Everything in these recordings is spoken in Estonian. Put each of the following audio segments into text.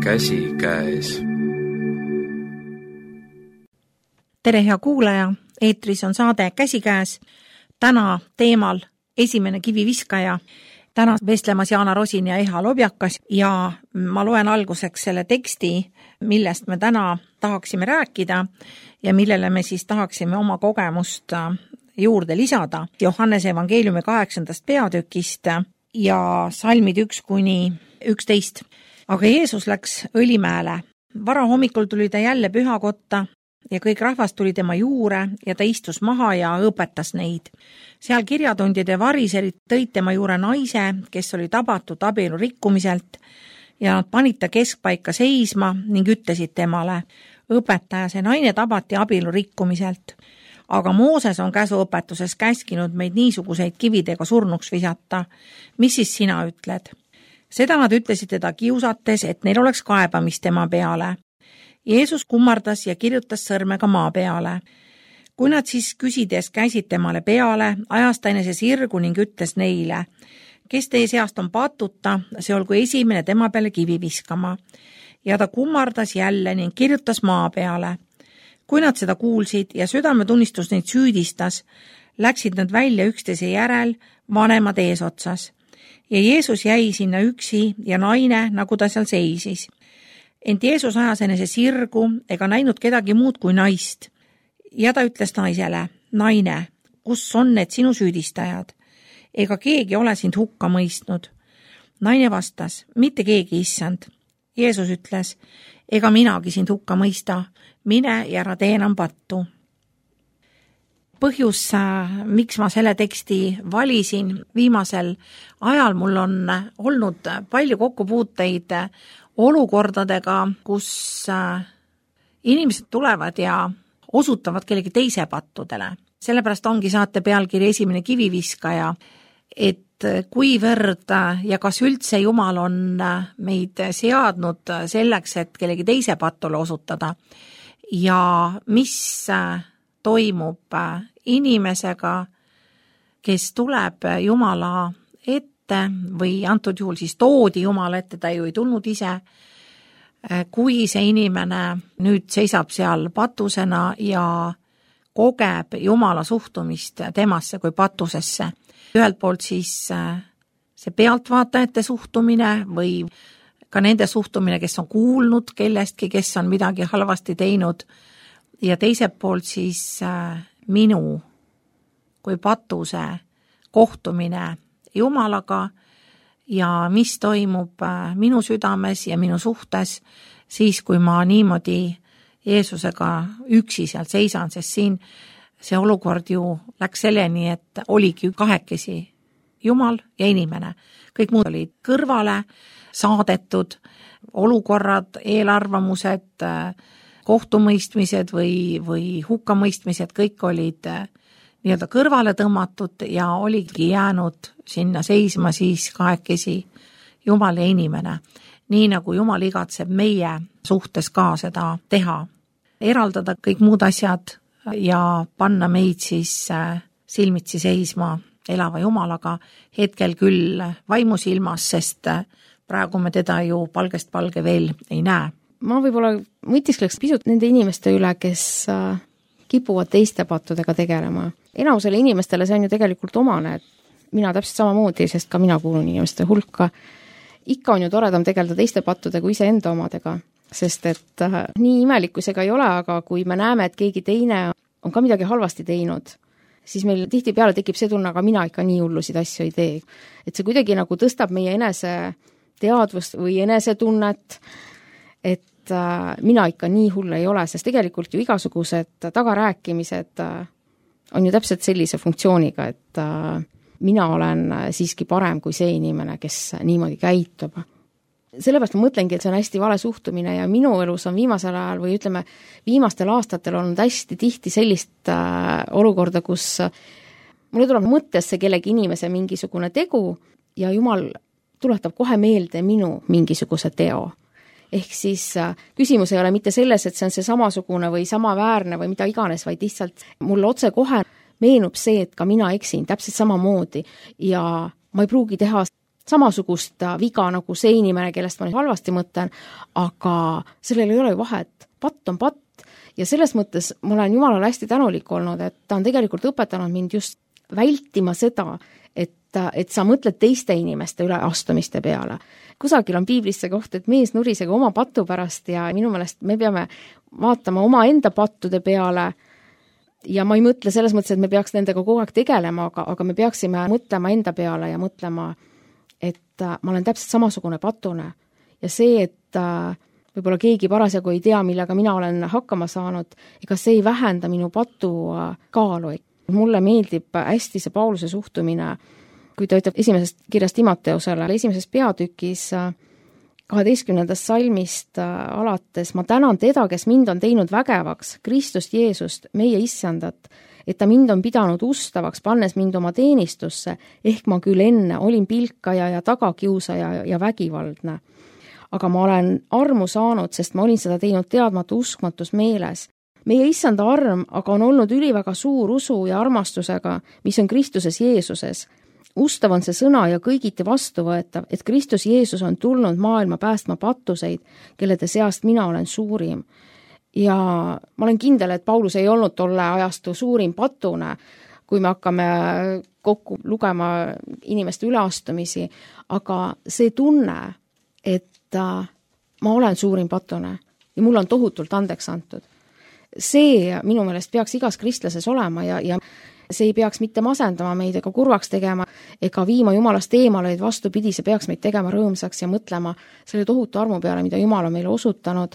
käsikäes. Tere, hea kuulaja, eetris on saade Käsikäes. Täna teemal esimene kiviviskaja. Täna vestlemas Jaana Rosin ja Eha Lobjakas ja ma loen alguseks selle teksti, millest me täna tahaksime rääkida ja millele me siis tahaksime oma kogemust juurde lisada. Johannese evangeeliumi 8. peatükist ja salmid 1-11. Aga Jeesus läks Õlimäele. Varahommikul tuli ta jälle pühakotta ja kõik rahvas tuli tema juurde ja ta istus maha ja õpetas neid. Seal kirjatundjad ja variserid tõid tema juurde naise, kes oli tabatud abielu rikkumiselt ja nad panid ta keskpaika seisma ning ütlesid temale: õpetaja, see naine tabati abielu rikkumiselt. Aga Mooses on käsuõpetuses käskinud meid niisuguseid kividega surnuks visata. Mis siis sina ütled? Seda nad ütlesid teda kiusates, et neil oleks kaebamist tema peale. Jeesus kummardas ja kirjutas sõrmega maa peale. Kui nad siis küsides käisid temale peale, ajas ta enese sirgu ning ütles neile: kes teie seast on patuta, see olgu esimene tema peale kivi viskama. Ja ta kummardas jälle ning kirjutas maa peale. Kui nad seda kuulsid ja südametunnistus neid süüdistas, läksid nad välja üksteise järel, vanemad eesotsas. Ja Jeesus jäi sinna üksi ja naine, nagu ta seal seisis. Ent Jeesus ajas enese sirgu ega näinud kedagi muud kui naist. Ja ta ütles naisele: naine, kus on need sinu süüdistajad? Ega keegi ole sind hukka mõistnud. Naine vastas: mitte keegi, issand. Jeesus ütles: ega minagi sind hukka mõista, mine ja ära tee enam pattu. Põhjus, miks ma selle teksti valisin, viimasel ajal mul on olnud palju kokkupuuteid olukordadega, kus inimesed tulevad ja osutavad kellegi teise pattudele. Sellepärast ongi saate pealkiri esimene kiviviskaja, et kuivõrd ja kas üldse Jumal on meid seadnud selleks, et kellegi teise pattule osutada ja mis toimub inimesega, kes tuleb Jumala ette või antud juhul siis toodi Jumala ette, ta ju ei tulnud ise, kui see inimene nüüd seisab seal patusena ja kogeb Jumala suhtumist temasse kui patusesse. Ühelt poolt siis see pealtvaatajate suhtumine või ka nende suhtumine, kes on kuulnud kellestki, kes on midagi halvasti teinud, ja teiselt poolt siis minu kui patuse kohtumine Jumalaga ja mis toimub minu südames ja minu suhtes siis, kui ma niimoodi Jeesusega üksi seal seisan, sest siin see olukord ju läks selleni, et oligi kahekesi Jumal ja inimene. Kõik muud olid kõrvale saadetud, olukorrad, eelarvamused, kohtumõistmised või hukkamõistmised, kõik olid nii-öelda kõrvale tõmmatud ja oligi jäänud sinna seisma siis kahekesi Jumal ja inimene. Nii nagu Jumal igatseb meie suhtes ka seda teha. Eraldada kõik muud asjad ja panna meid siis silmitsi seisma elava Jumalaga, hetkel küll vaimusilmas, sest praegu me teda ju palgest palge veel ei näe. Ma võib-olla mõtiskleks pisut nende inimeste üle, kes kipuvad teiste pattudega tegelema. Enamusele inimestele see on ju tegelikult omane, et mina täpselt samamoodi, sest ka mina kuulun inimeste hulka. Ikka on ju toredam tegeleda teiste pattude kui iseenda omadega, sest et nii imelikkusega ei ole, aga kui me näeme, et keegi teine on ka midagi halvasti teinud, siis meil tihtipeale tekib see tunne, aga mina ikka nii hullusid asju ei tee. Et see kuidagi nagu tõstab meie enese teadvust või enesetunnet, et mina ikka nii hull ei ole, sest tegelikult ju igasugused tagarääkimised on ju täpselt sellise funktsiooniga, et mina olen siiski parem kui see inimene, kes niimoodi käitub. Sellepärast ma mõtlengi, et see on hästi vale suhtumine ja minu elus on viimasel ajal või ütleme, viimastel aastatel on hästi tihti sellist olukorda, kus mulle tuleb mõttesse kellegi inimese mingisugune tegu ja Jumal tuletab kohe meelde minu mingisuguse teo. Ehk siis küsimus ei ole mitte selles, et see on see samasugune või samaväärne või mida iganes, vaid lihtsalt mul otse kohe meenub see, et ka mina eksin täpselt samamoodi ja ma ei pruugi teha samasugust viga nagu see inimene, kellest ma halvasti mõtlen, aga sellel ei ole ju vahet. Patt on patt ja selles mõttes ma olen Jumalale hästi tänulik olnud, et ta on tegelikult õpetanud mind just vältima seda, et sa mõtled teiste inimeste üleastumiste peale. Kusagil on piiblis see koht, et mees nurisega oma patu pärast ja minu meelest me peame vaatama oma enda pattude peale ja ma ei mõtle selles mõttes, et me peaks nendega kogu aeg tegelema, aga me peaksime mõtlema enda peale ja mõtlema, et ma olen täpselt samasugune patune ja see, et võib-olla keegi parasjagu ei tea, millega mina olen hakkama saanud, ega see ei vähenda minu patu kaalu. Mulle meeldib hästi see Pauluse suhtumine, kui ta ütleb esimesest kirjast Timoteusele, esimeses peatükis 12. salmist alates, ma tänan teda, kes mind on teinud vägevaks, Kristust Jeesust, meie issandat, et ta mind on pidanud ustavaks, pannes mind oma teenistusse, ehk ma küll enne olin pilkaja ja tagakiusaja ja vägivaldne. Aga ma olen armu saanud, sest ma olin seda teinud teadmatu uskmatus meeles. Meie issanda arm aga on olnud üliväga suur usu ja armastusega, mis on Kristuses Jeesuses. Ustav on see sõna ja kõigiti vastuvõetav, et Kristus Jeesus on tulnud maailma päästma pattuseid, kellede seast mina olen suurim. Ja ma olen kindel, et Paulus ei olnud tolle ajastu suurim patune, kui me hakkame kokku lugema inimeste üleastumisi, aga see tunne, et ma olen suurim patune ja mul on tohutult andeks antud. See minu meelest peaks igas kristlases olema ja see ei peaks mitte masendama meid ega kurvaks tegema ega viima Jumalast eemale, et vastupidi, see peaks meid tegema rõõmsaks ja mõtlema selle tohutu armu peale, mida Jumal on meile osutanud,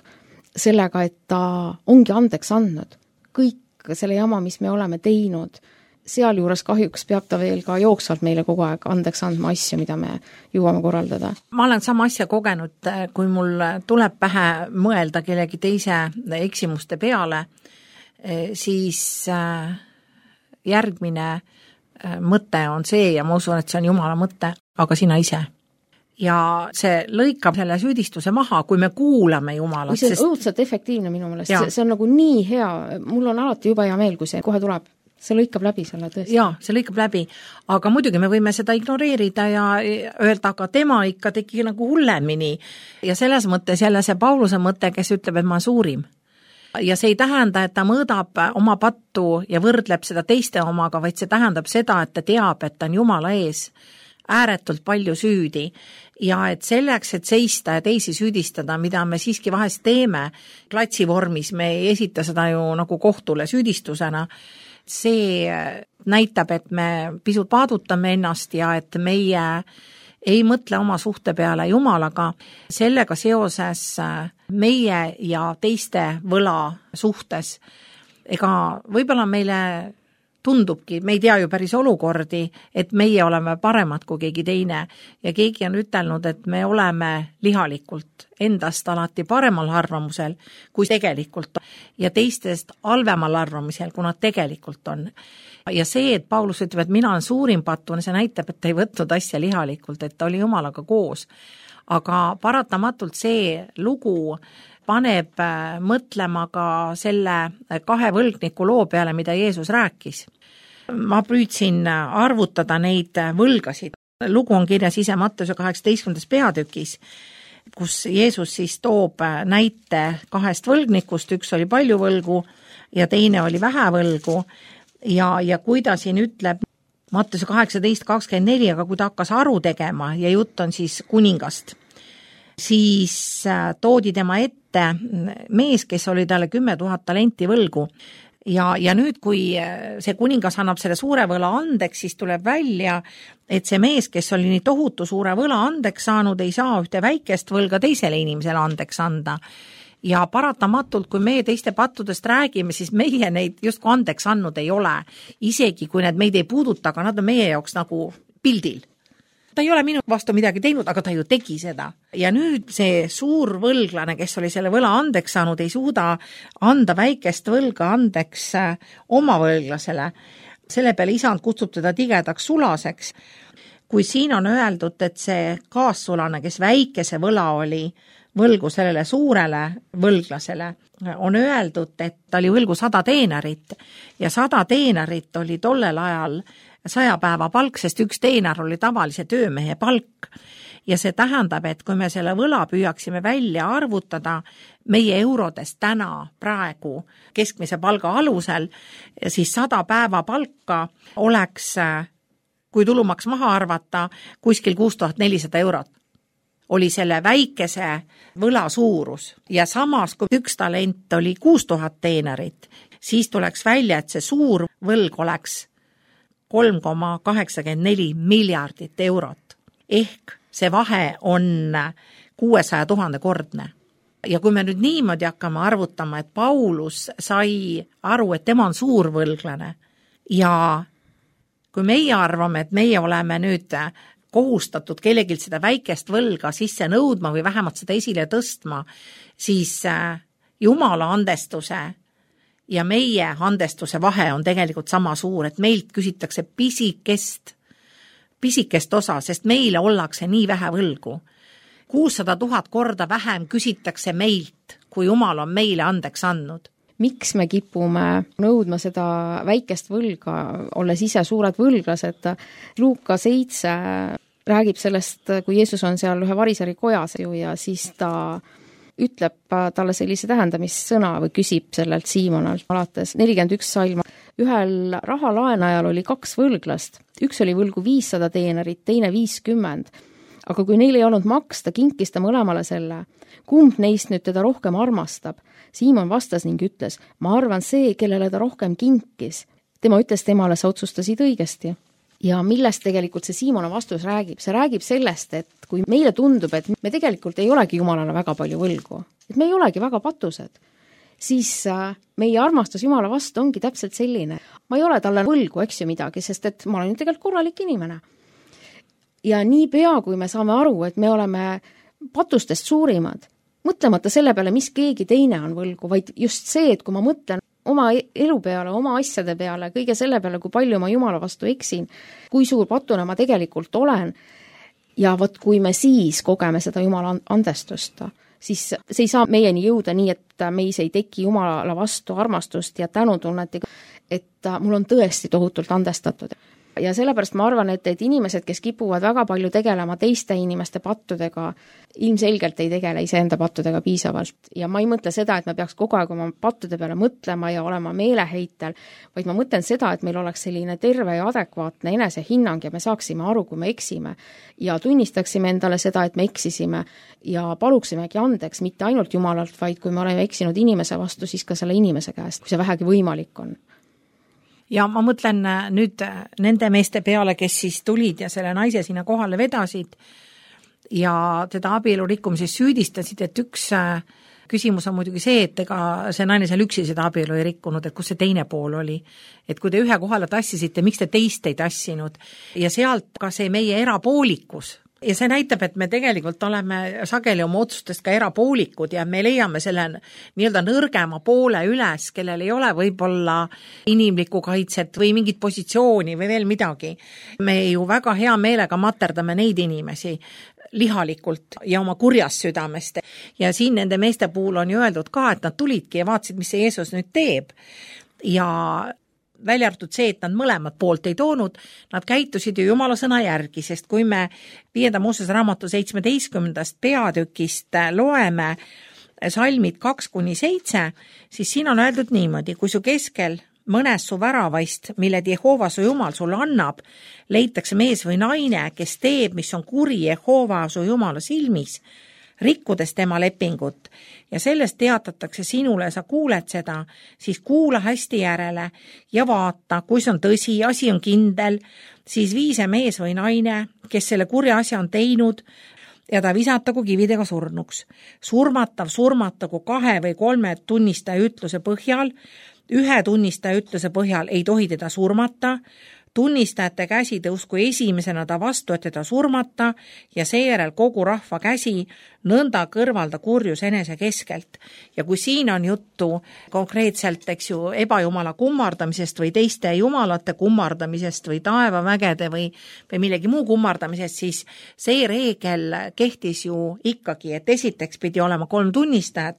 sellega, et ta ongi andeks andnud. Kõik selle jama, mis me oleme teinud, sealjuures kahjuks peab ta veel ka jooksvalt meile kogu aeg andeks andma asju, mida me jõuame korraldada. Ma olen sama asja kogenud, kui mul tuleb pähe mõelda kellegi teise eksimuste peale, siis järgmine mõte on see ja ma usun, et see on Jumala mõte, aga sina ise. Ja see lõikab selle süüdistuse maha, kui me kuulame Jumalat. See on õudselt efektiivne minu meelest, see on nagu nii hea, mul on alati juba hea meel, kui see kohe tuleb. See lõikab läbi selle tõesti. Jaa, see lõikab läbi, aga muidugi me võime seda ignoreerida ja öelda, aga tema ikka tegi nagu hullemini. Ja selles mõttes jälle see Pauluse mõte, kes ütleb, et ma suurim. Ja see ei tähenda, et ta mõõdab oma pattu ja võrdleb seda teiste omaga, vaid see tähendab seda, et ta teab, et ta on Jumala ees ääretult palju süüdi ja et selleks, et seista ja teisi süüdistada, mida me siiski vahest teeme klatsi vormis, me ei esita seda ju nagu kohtule süüdistusena, see näitab, et me pisut paadutame ennast ja et meie ei mõtle oma suhte peale Jumalaga. Sellega seoses meie ja teiste võla suhtes, ega võib-olla meile tundubki, me ei tea ju päris olukordi, et meie oleme paremad kui keegi teine ja keegi on ütelnud, et me oleme lihalikult endast alati paremal arvamusel, kui tegelikult ja teistest halvemal arvamusel, kui nad tegelikult on. Ja see, et Paulus ütleb, et mina olen suurim patune, see näitab, et ta ei võtnud asja lihalikult, et ta oli Jumalaga koos. Aga paratamatult see lugu paneb mõtlema ka selle 2 võlgniku loo peale, mida Jeesus rääkis. Ma püüdsin arvutada neid võlgasid. Lugu on kirjas ise Matteuse 18. peatükis, kus Jeesus siis toob näite 2 võlgnikust, üks oli palju võlgu ja teine oli vähe võlgu ja kui ta siin ütleb Matteuse 18.24, aga kui ta hakkas aru tegema ja jutt on siis kuningast, siis toodi tema ette mees, kes oli talle 10 000 talenti võlgu. Ja nüüd, kui see kuningas annab selle suure võla andeks, siis tuleb välja, et see mees, kes oli nii tohutu suure võla andeks saanud, ei saa ühte väikest võlga teisele inimesele andeks anda. Ja paratamatult, kui meie teiste pattudest räägime, siis meie neid justkui andeks andnud ei ole. Isegi kui need meid ei puuduta, aga nad on meie jaoks nagu pildil. Ta ei ole minu vastu midagi teinud, aga ta ju tegi seda. Ja nüüd see suur võlglane, kes oli selle võla andeks saanud, ei suuda anda väikest võlga andeks oma võlglasele. Selle peale isand kutsub teda tigedaks sulaseks. Kui siin on öeldud, et see kaassulane, kes väikese võla oli võlgu sellele suurele võlglasele, on öeldud, et ta oli võlgu 100 teenarit ja 100 teenarit oli tollel ajal 100 päeva palk, sest üks teenar oli tavalise töömehe palk. Ja see tähendab, et kui me selle võla püüaksime välja arvutada meie eurodes täna praegu keskmise palga alusel, siis 100 päeva palka oleks, kui tulumaks maha arvata, kuskil 6400 eurot. Oli selle väikese võla suurus ja samas, kui üks talent oli 6000 teenerit, siis tuleks välja, et see suur võlg oleks 3,84 miljardit eurot. Ehk see vahe on 600 000 kordne. Ja kui me nüüd niimoodi hakkame arvutama, et Paulus sai aru, et tema on suur võlglane ja kui meie arvame, et meie oleme nüüd kohustatud kellegilt seda väikest võlga sisse nõudma või vähemalt seda esile tõstma, siis Jumala andestuse ja meie andestuse vahe on tegelikult sama suur, et meilt küsitakse pisikest osa, sest meile ollakse nii vähe võlgu. 600 000 korda vähem küsitakse meilt, kui Jumal on meile andeks andnud. Miks me kipume nõudma seda väikest võlga, olles ise suured võlglased? Luuka 7 räägib sellest, kui Jeesus on seal ühe variseri kojas ja siis ta ütleb talle sellise tähendamissõna või küsib sellelt Siimonalt alates 41 salm. Ühel rahalaenajal oli 2 võlglast. Üks oli võlgu 500 teenerit, teine 50. Aga kui neil ei olnud maksta, kinkis ta mõlemale selle. Kumb neist nüüd teda rohkem armastab? Siimon vastas ning ütles, ma arvan see, kellele ta rohkem kinkis. Tema ütles temale, sa otsustasid õigesti. Ja millest tegelikult see Siimona vastus räägib? See räägib sellest, et kui meile tundub, et me tegelikult ei olegi Jumalale väga palju võlgu, et me ei olegi väga patused, siis meie armastus Jumala vastu ongi täpselt selline. Ma ei ole talle võlgu, eks ju midagi, sest et ma olen ju tegelikult korralik inimene. Ja nii pea, kui me saame aru, et me oleme patustest suurimad, mõtlemata selle peale, mis keegi teine on võlgu, vaid just see, et kui ma mõtlen oma elu peale, oma asjade peale, kõige selle peale, kui palju ma Jumala vastu eksin, kui suur patuna ma tegelikult olen, ja vot kui me siis kogeme seda Jumala andestust, siis see ei saa meieni jõuda nii, et meis ei teki Jumala vastu armastust ja tänutunnet, et mul on tõesti tohutult andestatud. Ja sellepärast ma arvan, et inimesed, kes kipuvad väga palju tegelema teiste inimeste pattudega, ilmselgelt ei tegele iseenda pattudega piisavalt. Ja ma ei mõtle seda, et me peaks kogu aeg oma pattude peale mõtlema ja olema meeleheitel, vaid ma mõtlen seda, et meil oleks selline terve ja adekvaatne enesehinnang ja me saaksime aru, kui me eksime ja tunnistaksime endale seda, et me eksisime ja paluksimegi andeks mitte ainult Jumalalt, vaid kui me oleme eksinud inimese vastu, siis ka selle inimese käest, kui see vähegi võimalik on. Ja ma mõtlen nüüd nende meeste peale, kes siis tulid ja selle naise sinna kohale vedasid ja teda abielu rikkumises süüdistasid, et üks küsimus on muidugi see, et ega see naine seal üksi seda abielu ei rikkunud, et kus see teine pool oli. Et kui te ühe kohale tassisite, miks te teist ei tassinud? Ja sealt ka see meie erapoolikus. Ja see näitab, et me tegelikult oleme sageli oma otsustest ka erapoolikud ja me leiame selle nii-öelda nõrgema poole üles, kellel ei ole võib-olla inimlikku kaitset või mingit positsiooni või veel midagi. Me ju väga hea meelega materdame neid inimesi lihalikult ja oma kurjast südamest. Ja siin nende meeste puhul on ju öeldud ka, et nad tulidki ja vaatasid, mis see Jeesus nüüd teeb. Ja välja arvatud see, et nad mõlemad poolt ei toonud, nad käitusid ju Jumala sõna järgi, sest kui me 5. Moosese raamatu 17. peatükist loeme salmid 2-7, siis siin on öeldud niimoodi, kui su keskel mõnes su väravaist, mille Jehova su Jumal sulle annab, leitakse mees või naine, kes teeb, mis on kuri Jehova su Jumala silmis, rikkudes tema lepingut ja sellest teatatakse sinule, sa kuuled seda, siis kuula hästi järele ja vaata, kui see on tõsi, asi on kindel, siis vii see mees või naine, kes selle kurja asja on teinud ja ta visatagu kividega surnuks. Surmatagu 2 või 3 tunnistaja ütluse põhjal, 1 tunnistaja ütluse põhjal ei tohi teda surmata, tunnistajate käsi tõusku esimesena ta vastu, et teda surmata ja seejärel kogu rahva käsi nõnda kõrvalda kurjus enese keskelt. Ja kui siin on juttu konkreetselt, eks ju, ebajumala kummardamisest või teiste jumalate kummardamisest või taevavägede või millegi muu kummardamisest, siis see reegel kehtis ju ikkagi, et esiteks pidi olema 3 tunnistajat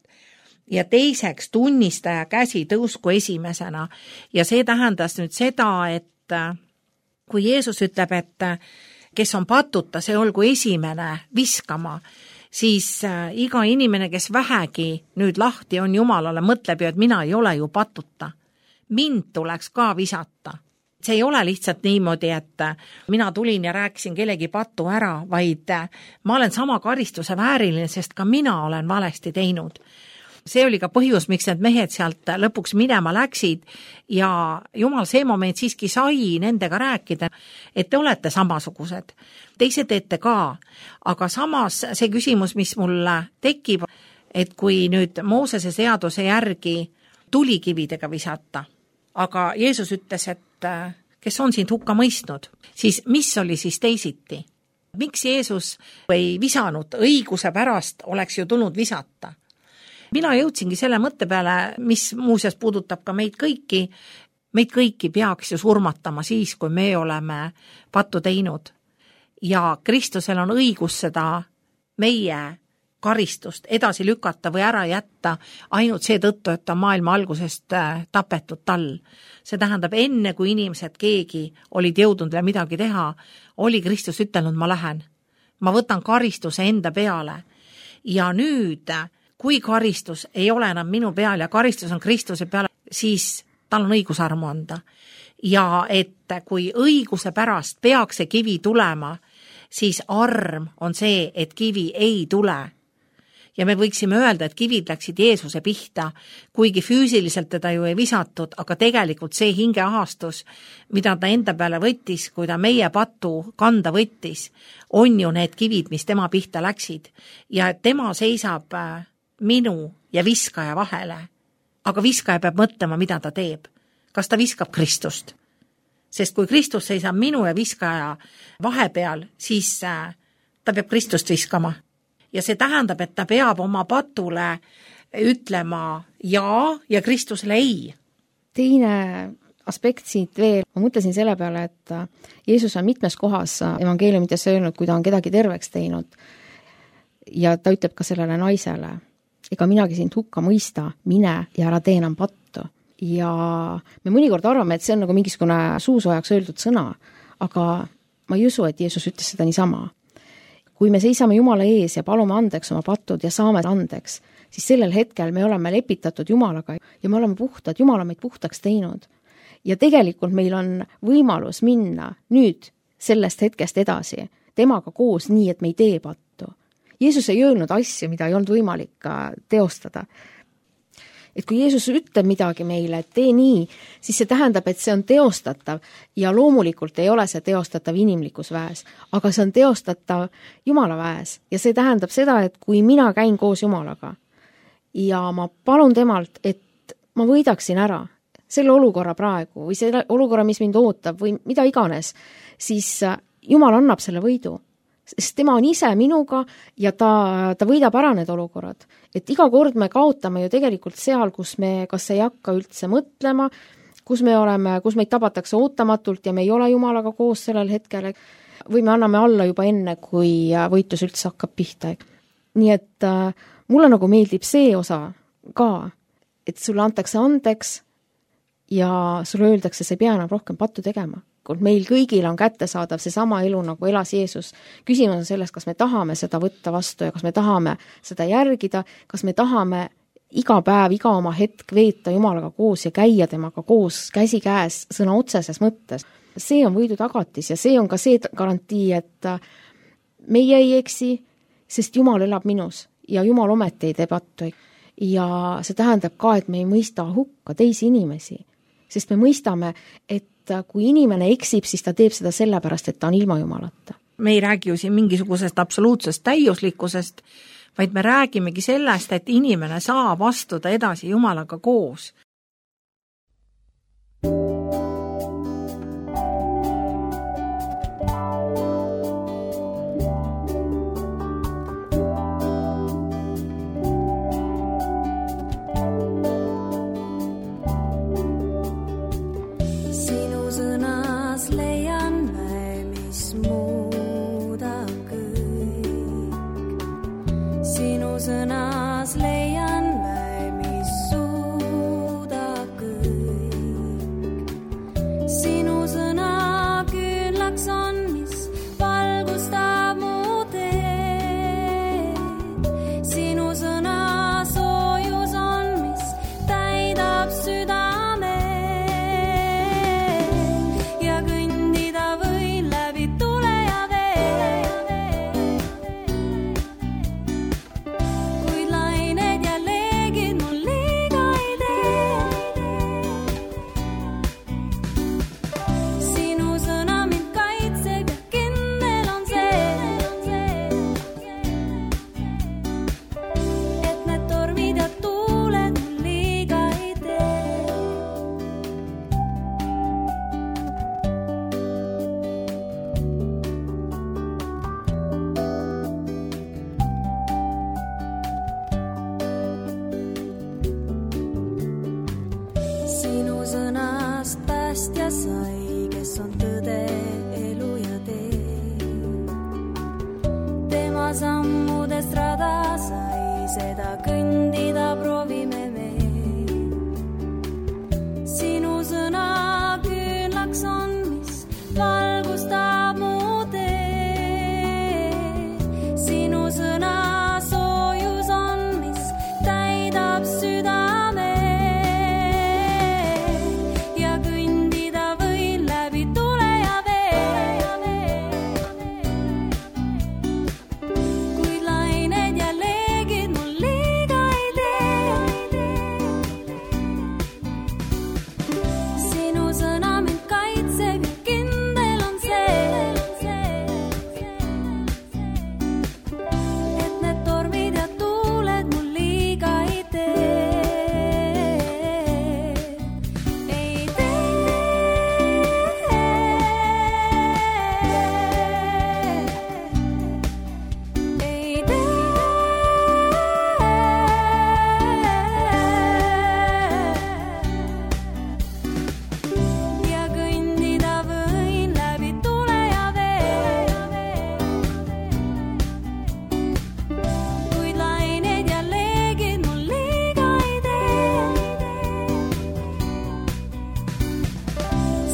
ja teiseks tunnistaja käsi tõusku esimesena. Ja see tähendas nüüd seda, et kui Jeesus ütleb, et kes on patuta, see olgu esimene viskama, siis iga inimene, kes vähegi nüüd lahti on Jumalale, mõtleb ju, et mina ei ole ju patuta. Mind tuleks ka visata. See ei ole lihtsalt niimoodi, et mina tulin ja rääkisin kellegi patu ära, vaid ma olen sama karistuse vääriline, sest ka mina olen valesti teinud. See oli ka põhjus, miks need mehed sealt lõpuks minema läksid ja Jumal see moment siiski sai nendega rääkida, et te olete samasugused. Te ise teete ka, aga samas see küsimus, mis mulle tekib, et kui nüüd Moosese seaduse järgi tulikividega visata, aga Jeesus ütles, et kes on sind hukka mõistnud, siis mis oli siis teisiti? Miks Jeesus ei visanud õiguse pärast, oleks ju tulnud visata? Mina jõudsingi selle mõtte peale, mis muuseas puudutab ka meid kõiki peaks ju surmatama siis, kui me oleme pattu teinud. Ja Kristusel on õigus seda meie karistust edasi lükata või ära jätta ainult seetõttu, et ta maailma algusest tapetud tal. See tähendab, enne kui inimesed keegi olid jõudnud veel midagi teha, oli Kristus ütelnud, ma lähen. Ma võtan karistuse enda peale. Ja nüüd kui karistus ei ole enam minu peal ja karistus on Kristuse peal, siis tal on õigus armu anda. Ja et kui õiguse pärast peaks see kivi tulema, siis arm on see, et kivi ei tule. Ja me võiksime öelda, et kivid läksid Jeesuse pihta, kuigi füüsiliselt teda ju ei visatud, aga tegelikult see hingeahastus, mida ta enda peale võttis, kui ta meie pattu kanda võttis, on ju need kivid, mis tema pihta läksid. Ja tema seisab minu ja viskaja vahele. Aga viskaja peab mõtlema, mida ta teeb. Kas ta viskab Kristust? Sest kui Kristus seisab minu ja viskaja vahepeal, siis ta peab Kristust viskama. Ja see tähendab, et ta peab oma patule ütlema ja Kristusele ei. Teine aspekt siit veel, ma mõtlesin selle peale, et Jeesus on mitmes kohas evangeeliumites öelnud, kui ta on kedagi terveks teinud. Ja ta ütleb ka sellele naisele, ega minagi sind hukka mõista, mine ja ära tee enam pattu. Ja me mõnikord arvame, et see on nagu mingisugune suusoojaks öeldud sõna, aga ma ei usu, et Jeesus ütles seda niisama. Kui me seisame Jumala ees ja palume andeks oma patud ja saame andeks, siis sellel hetkel me oleme lepitatud Jumalaga ja me oleme puhtad, Jumal on meid puhtaks teinud. Ja tegelikult meil on võimalus minna nüüd sellest hetkest edasi, temaga koos nii, et me ei tee pattu. Jeesus ei öelnud asju, mida ei olnud võimalik teostada. Et kui Jeesus ütleb midagi meile, et tee nii, siis see tähendab, et see on teostatav ja loomulikult ei ole see teostatav inimlikus väes, aga see on teostatav Jumala väes ja see tähendab seda, et kui mina käin koos Jumalaga ja ma palun temalt, et ma võidaksin ära selle olukorra praegu või selle olukorra, mis mind ootab või mida iganes, siis Jumal annab selle võidu. Sest tema on ise minuga ja ta võidab ära need olukorrad. Et iga kord me kaotame ju tegelikult seal, kus me kas ei hakka üldse mõtlema, kus meid tabatakse ootamatult ja me ei ole Jumalaga koos sellel hetkel või me anname alla juba enne, kui võitlus üldse hakkab pihta. Nii et mulle nagu meeldib see osa ka, et sulle antakse andeks ja sulle öeldakse, sa ei pea enam rohkem pattu tegema. Meil kõigil on kättesaadav see sama elu, nagu elas Jeesus. Küsimus on selles, kas me tahame seda võtta vastu ja kas me tahame seda järgida, kas me tahame iga päev, iga oma hetk veeta Jumalaga koos ja käia temaga koos käsi käes sõna otseses mõttes. See on võidu tagatis ja see on ka see garantii, et meie ei eksi, sest Jumal elab minus ja Jumal ometi ei tee pattu. Ja see tähendab ka, et me ei mõista hukka teisi inimesi, sest me mõistame, et kui inimene eksib, siis ta teeb seda sellepärast, et ta on ilma Jumalata. Me ei räägi ju siin mingisugusest absoluutsest täiuslikkusest, vaid me räägimegi sellest, et inimene saab astuda edasi Jumalaga koos. Sõnas leian väe, mis suudab kõik. Sinu sõna küll sammudest rada sai, seda kõndida proovime me. Sinu sõna küünlaks on, mis valgustab mu tee. Sinu sõna soojus on, mis täidab südame. Ja kõndida võin läbi tule ja vee. Kuid lained ja leegid mul liiga ei tee. Sinu sõna mind kaitseb ja kindel on see, et need tormid ja tuuled mul liiga ei tee. Ei ja kõndida võin läbi tule ja vee. Kuid lained ja leegid mul liiga ei tee.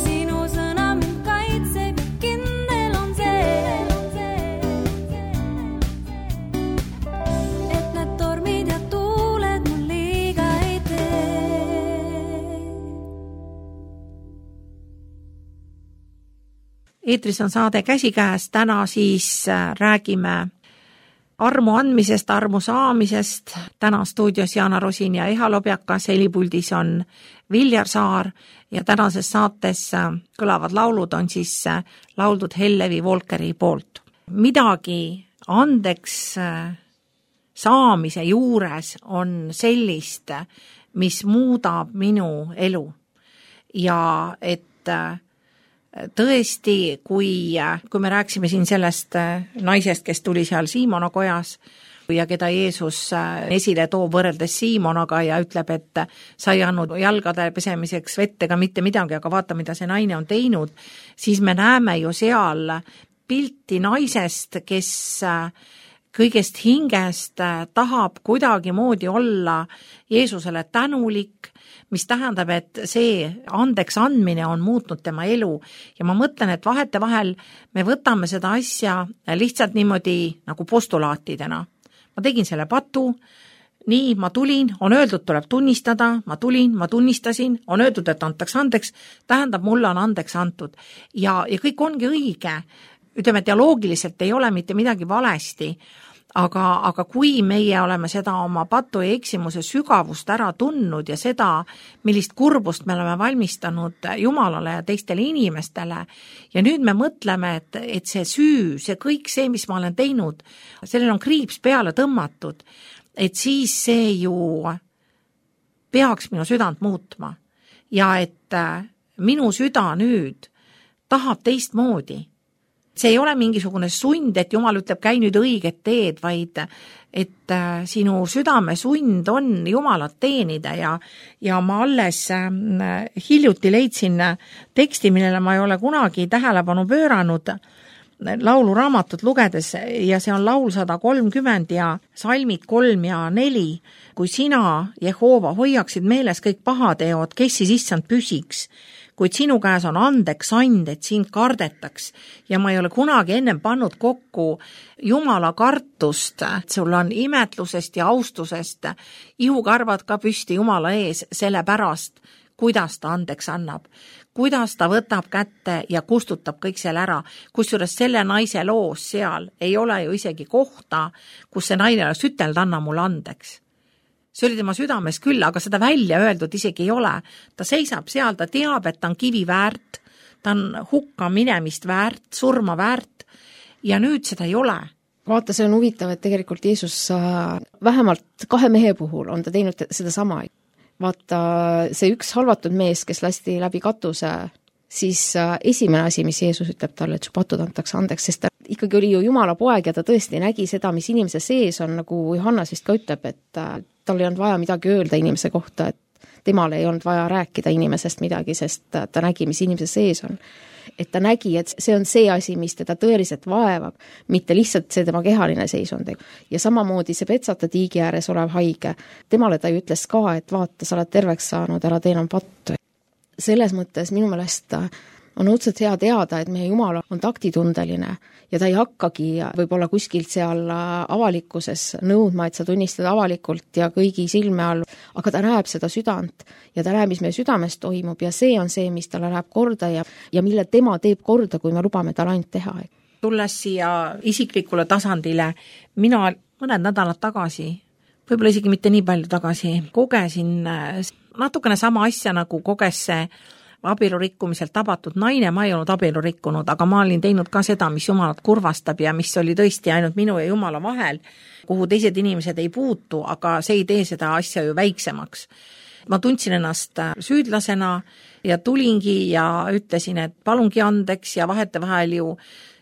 Sinu sõna mind kaitseb ja kindel on see, et need tormid ja tuuled mul liiga ei tee. Eetris on saade Käsikäes, täna siis räägime armu andmisest, armu saamisest. Täna stuudios Jana Rosin ja Eha Lobjakas, helipuldis on Viljar Saar ja tänases saates kõlavad laulud on siis lauldud Hellevi Volkeri poolt. Midagi andeks saamise juures on sellist, mis muudab minu elu. Ja et tõesti, kui me rääksime siin sellest naisest, kes tuli seal Siimona kojas ja keda Jeesus esile toob võrreldes Siimonaga ja ütleb, et sa ei andnud jalgade pesemiseks vett ega mitte midagi, aga vaata, mida see naine on teinud, siis me näeme ju seal pilti naisest, kes kõigest hingest tahab kuidagi moodi olla Jeesusele tänulik, mis tähendab, et see andeks andmine on muutnud tema elu ja ma mõtlen, et vahetevahel me võtame seda asja lihtsalt niimoodi nagu postulaatidena. Ma tegin selle patu, nii ma tulin, on öeldud, tuleb tunnistada, ma tulin, ma tunnistasin, on öeldud, et antaks andeks, tähendab, mulle on andeks antud ja kõik ongi õige. Ütleme, dialoogiliselt ei ole mitte midagi valesti, aga kui meie oleme seda oma patu ja eksimuse sügavust ära tundnud ja seda, millist kurbust me oleme valmistanud Jumalale ja teistele inimestele ja nüüd me mõtleme, et see süü, see kõik see, mis ma olen teinud, sellel on kriips peale tõmmatud, et siis see ju peaks minu südant muutma ja et minu süda nüüd tahab teistmoodi. See ei ole mingisugune sund, et Jumal ütleb, käi nüüd õiget teed, vaid et sinu südame sund on Jumalat teenida ja ma alles hiljuti leidsin teksti, millele ma ei ole kunagi tähelepanu pööranud lauluraamatut lugedes ja see on laul 130 ja salmid 3 ja 4. Kui sina, Jehova, hoiaksid meeles kõik pahateod, kes siis issand püsiks, kuid sinu käes on andeks and, et sind kardetaks ja ma ei ole kunagi ennem pannud kokku Jumala kartust, et sul on imetlusest ja austusest ihukarvad ka püsti Jumala ees, selle pärast, kuidas ta andeks annab, kuidas ta võtab kätte ja kustutab kõik selle ära, kusjuures selle naise loos seal ei ole ju isegi kohta, kus see naine oleks ütelnud, anna mulle andeks. See oli tema südames küll, aga seda välja öeldud isegi ei ole. Ta seisab seal, ta teab, et ta on kivi väärt, ta on hukka minemist väärt, surma väärt ja nüüd seda ei ole. Vaata, see on huvitav, et tegelikult Jeesus vähemalt 2 mehe puhul on ta teinud seda sama. Vaata, see üks halvatud mees, kes lasti läbi katuse, siis esimene asi, mis Jeesus ütleb talle, et su patud antakse andeks, sest ta ikkagi oli ju Jumala poeg ja ta tõesti nägi seda, mis inimese sees on, nagu Johannes vist ka ütleb, et tal ei olnud vaja midagi öelda inimese kohta, et temal ei olnud vaja rääkida inimesest midagi, sest ta nägi, mis inimese sees on. et ta nägi, et see on see asi, mis teda tõeliselt vaevab, mitte lihtsalt see tema kehaline seisund. Ja samamoodi see Petsata tiigi ääres olev haige, temale ta ju ütles ka, et vaata, sa oled terveks saanud, ära tee enam pattu. Selles mõttes minu meelest on õudselt hea teada, et meie Jumal on taktitundeline ja ta ei hakkagi võib-olla kuskilt seal avalikkuses nõudma, et sa tunnistad avalikult ja kõigi silme all, aga ta näeb seda südant ja ta näeb, mis meie südames toimub ja see on see, mis talle läheb korda ja mille tema teeb korda, kui me lubame tal ainult teha. Tulles siia isiklikule tasandile, mina mõned nädalad tagasi, võib-olla isegi mitte nii palju tagasi, kogesin natukene sama asja, nagu koges see abielu rikkumiselt tabatud naine. Ma ei olnud abielu rikkunud, aga ma olin teinud ka seda, mis Jumalat kurvastab ja mis oli tõesti ainult minu ja Jumala vahel, kuhu teised inimesed ei puutu, aga see ei tee seda asja ju väiksemaks. Ma tundsin ennast süüdlasena ja tulingi ja ütlesin, et palungi andeks ja vahetevahel ju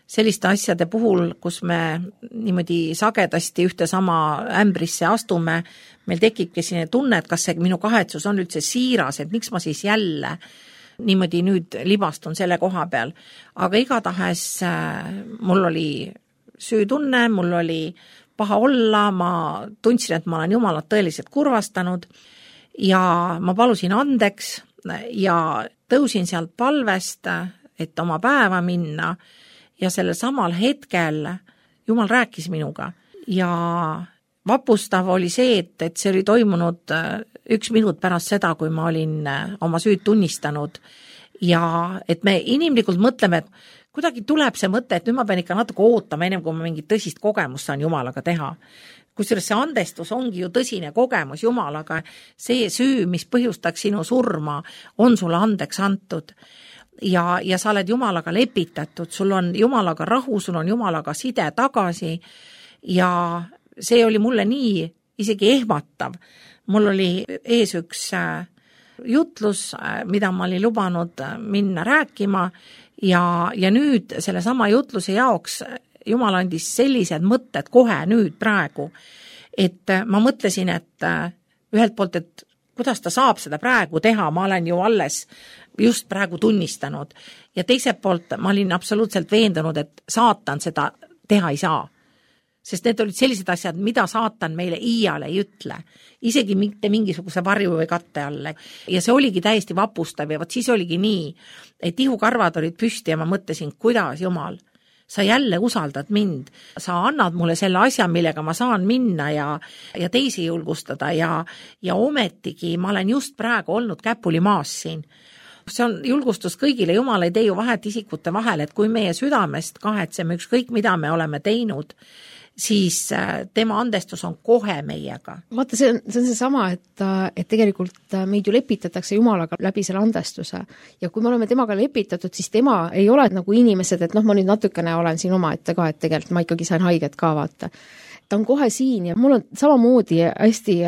selliste asjade puhul, kus me niimoodi sagedasti ühte sama ämbrisse astume, meil tekibki selline tunne, et kas see minu kahetsus on üldse siiras, et miks ma siis jälle niimoodi nüüd libastun selle koha peal. Aga igatahes mul oli süütunne, mul oli paha olla, ma tundsin, et ma olen Jumalat tõeliselt kurvastanud ja ma palusin andeks ja tõusin sealt palvest, et oma päeva minna ja sellel samal hetkel Jumal rääkis minuga ja vapustav oli see, et see oli toimunud 1 minut pärast seda, kui ma olin oma süüd tunnistanud ja et me inimlikult mõtleme, et kuidagi tuleb see mõte, et nüüd ma pean ikka natuke ootama, ennem kui ma mingit tõsist kogemust saan Jumalaga teha. Kusjuures see andestus ongi ju tõsine kogemus Jumalaga, see süü, mis põhjustaks sinu surma, on sulle andeks antud. Ja sa oled Jumalaga lepitatud, sul on Jumalaga rahu, sul on Jumalaga side tagasi ja see oli mulle nii isegi ehmatav. Mul oli ees üks jutlus, mida ma olin lubanud minna rääkima ja nüüd selle sama jutluse jaoks Jumal andis sellised mõtted kohe nüüd praegu, et ma mõtlesin, et ühelt poolt, et kuidas ta saab seda praegu teha, ma olen ju alles just praegu tunnistanud ja teiselt poolt ma olin absoluutselt veendunud, et saatan seda teha ei saa. Sest need olid sellised asjad, mida saatan meile iial ei ütle, isegi mitte mingisuguse varju või katte alle. Ja see oligi täiesti vapustav ja siis oligi nii, et ihukarvad olid püsti ja ma mõtlesin, kuidas Jumal, sa jälle usaldad mind, sa annad mulle selle asja, millega ma saan minna ja teisi julgustada ja ometigi ma olen just praegu olnud käpuli maas siin. See on julgustus kõigile, Jumal ei tee ju vahet isikute vahel, et kui meie südamest kahetseme ükskõik, mida me oleme teinud, siis tema andestus on kohe meiega. Vaata, see on seesama, et tegelikult meid ju lepitatakse Jumalaga läbi selle andestuse ja kui me oleme temaga lepitatud, siis tema ei ole nagu inimesed, et ma nüüd natukene olen siin omaette ka, et tegelikult ma ikkagi sain haiget ka vaata. Ta on kohe siin ja mul on samamoodi hästi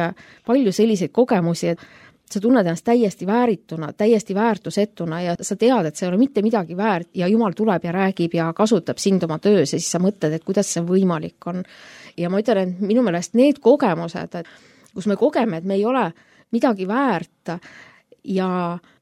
palju selliseid kogemusi, et sa tunned ennast täiesti väärituna, täiesti väärtusetuna ja sa tead, et see ei ole mitte midagi väärt ja Jumal tuleb ja räägib ja kasutab sind oma töös ja siis sa mõtled, et kuidas see võimalik on. Ja ma ütlen, et minu meelest need kogemused, kus me kogeme, et me ei ole midagi väärt ja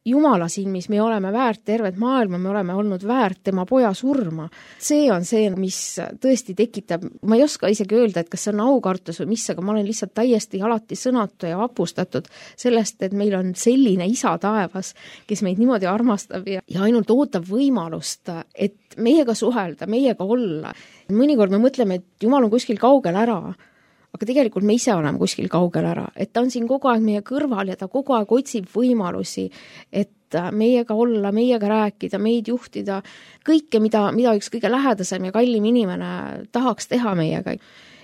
Jumala silmis me oleme väärt tervet maailma, me oleme olnud väärt tema poja surma. See on see, mis tõesti tekitab, ma ei oska isegi öelda, et kas see on aukartus või mis, aga ma olen lihtsalt täiesti alati sõnatu ja vapustatud sellest, et meil on selline isa taevas, kes meid niimoodi armastab ja ainult ootab võimalust, et meiega suhelda, meiega olla. Mõnikord me mõtleme, et Jumal on kuskil kaugel ära, aga tegelikult me ise oleme kuskil kaugel ära, et ta on siin kogu aeg meie kõrval ja ta kogu aeg otsib võimalusi, et meiega olla, meiega rääkida, meid juhtida, kõike, mida üks kõige lähedasem ja kallim inimene tahaks teha meiega.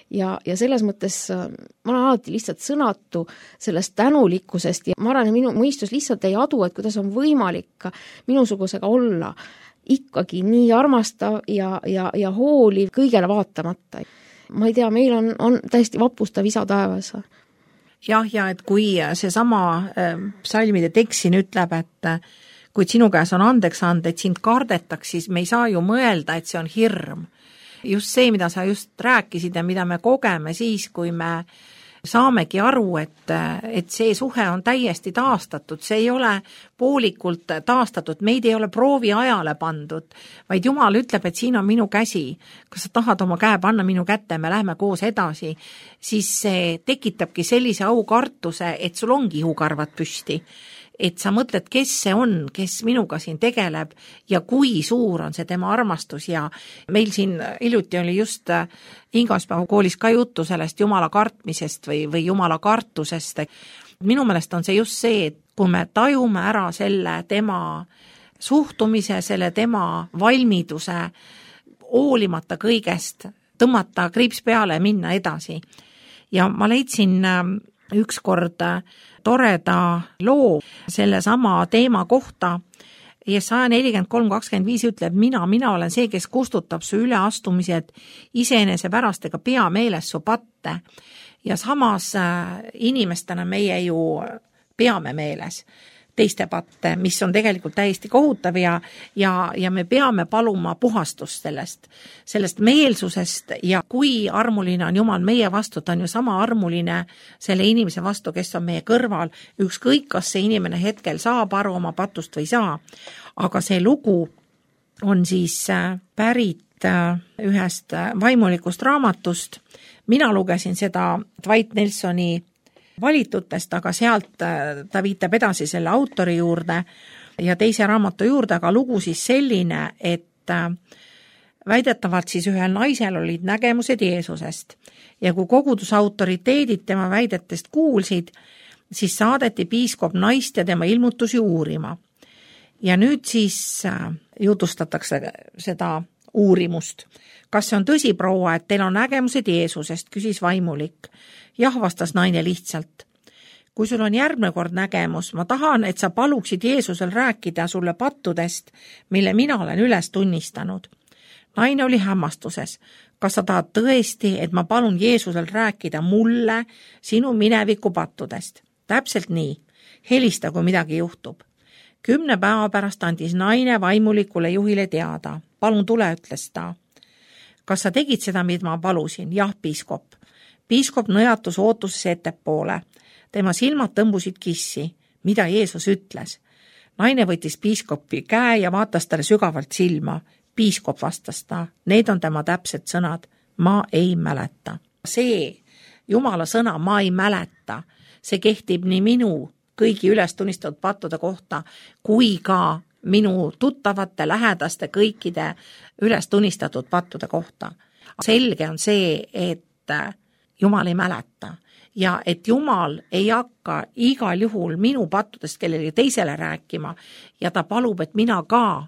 Ja selles mõttes ma olen alati lihtsalt sõnatu sellest tänulikkusest ja ma arvan, et minu mõistus lihtsalt ei adu, et kuidas on võimalik minusugusega olla ikkagi nii armastav ja hooliv kõigele vaatamata. Ma ei tea, meil on täiesti vapustav isa taevas. Jah, ja et kui see sama psalmide tekst siin ütleb, et kui sinu käes on andeks anda, et sind kardetaks, siis me ei saa ju mõelda, et see on hirm. Just see, mida sa just rääkisid ja mida me kogeme siis, kui me saamegi aru, et see suhe on täiesti taastatud, see ei ole poolikult taastatud, meid ei ole prooviajale pandud, vaid Jumal ütleb, et siin on minu käsi, kas sa tahad oma käe panna minu kätte, me läheme koos edasi, siis see tekitabki sellise aukartuse, et sul ongi ihukarvad püsti. Et sa mõtled, kes see on, kes minuga siin tegeleb ja kui suur on see tema armastus ja meil siin hiljuti oli just Ingaspäeva koolis ka juttu sellest Jumala kartmisest või Jumala kartusest. Minu meelest on see just see, et kui me tajume ära selle tema suhtumise, selle tema valmiduse, hoolimata kõigest, tõmmata kriips peale ja minna edasi. Ja ma leidsin ükskord toreda loo selle sama teema kohta. Jesaja 43:25 ütleb, mina olen see, kes kustutab su üleastumised iseenese pärast ega pea meeles su patte. Ja samas inimestena meie ju peame meeles teiste patte, mis on tegelikult täiesti kohutav ja me peame paluma puhastust sellest meelsusest ja kui armuline on Jumal meie vastu, ta on ju sama armuline selle inimese vastu, kes on meie kõrval, ükskõik kas see inimene hetkel saab aru oma patust või saa, aga see lugu on siis pärit ühest vaimulikust raamatust, mina lugesin seda Dwight Nelsoni valitutest, aga sealt ta viitab edasi selle autori juurde ja teise raamatu juurde, aga lugu siis selline, et väidetavalt siis ühel naisel olid nägemused Jeesusest ja kui koguduse autoriteedid tema väidetest kuulsid, siis saadeti piiskop naist ja tema ilmutusi uurima. Ja nüüd siis jutustatakse seda uurimust. Kas see on tõsi, proua, et teil on nägemused Jeesusest, küsis vaimulik. Jah, vastas naine lihtsalt. Kui sul on järgmine kord nägemus, ma tahan, et sa paluksid Jeesusel rääkida sulle pattudest, mille mina olen üles tunnistanud. Naine oli hämmastuses. Kas sa tahad tõesti, et ma palun Jeesusel rääkida mulle sinu mineviku pattudest? Täpselt nii. Helista, kui midagi juhtub. 10 päeva pärast andis naine vaimulikule juhile teada. Palun tule, ütles ta. Kas sa tegid seda, mida ma palusin? Jah, piiskop. Piiskop nõjatus ootuses ettepoole. Tema silmad tõmbusid kissi. Mida Jeesus ütles? Naine võttis piiskopi käe ja vaatas talle sügavalt silma. Piiskop vastas ta. Need on tema täpsed sõnad. Ma ei mäleta. See Jumala sõna ma ei mäleta. See kehtib nii minu kõigi üles tunnistatud pattude kohta, kui ka minu tuttavate, lähedaste, kõikide üles tunnistatud pattude kohta. Selge on see, et Jumal ei mäleta ja et Jumal ei hakka igal juhul minu pattudest kellelegi teisele rääkima ja ta palub, et mina ka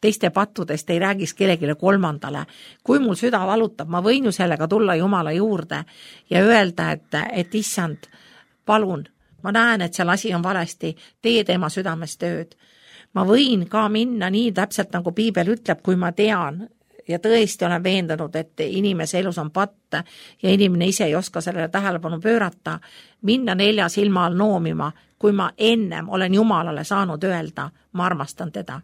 teiste pattudest ei räägiks kellegile kolmandale. Kui mul süda valutab, ma võin ju sellega tulla Jumala juurde ja öelda, et issand, palun, ma näen, et seal asi on valesti, tee tema südames tööd. Ma võin ka minna nii täpselt, nagu Piibel ütleb, kui ma tean ja tõesti olen veendunud, et inimese elus on patt ja inimene ise ei oska sellele tähelepanu pöörata, minna 4 silma all noomima, kui ma ennem olen Jumalale saanud öelda, ma armastan teda.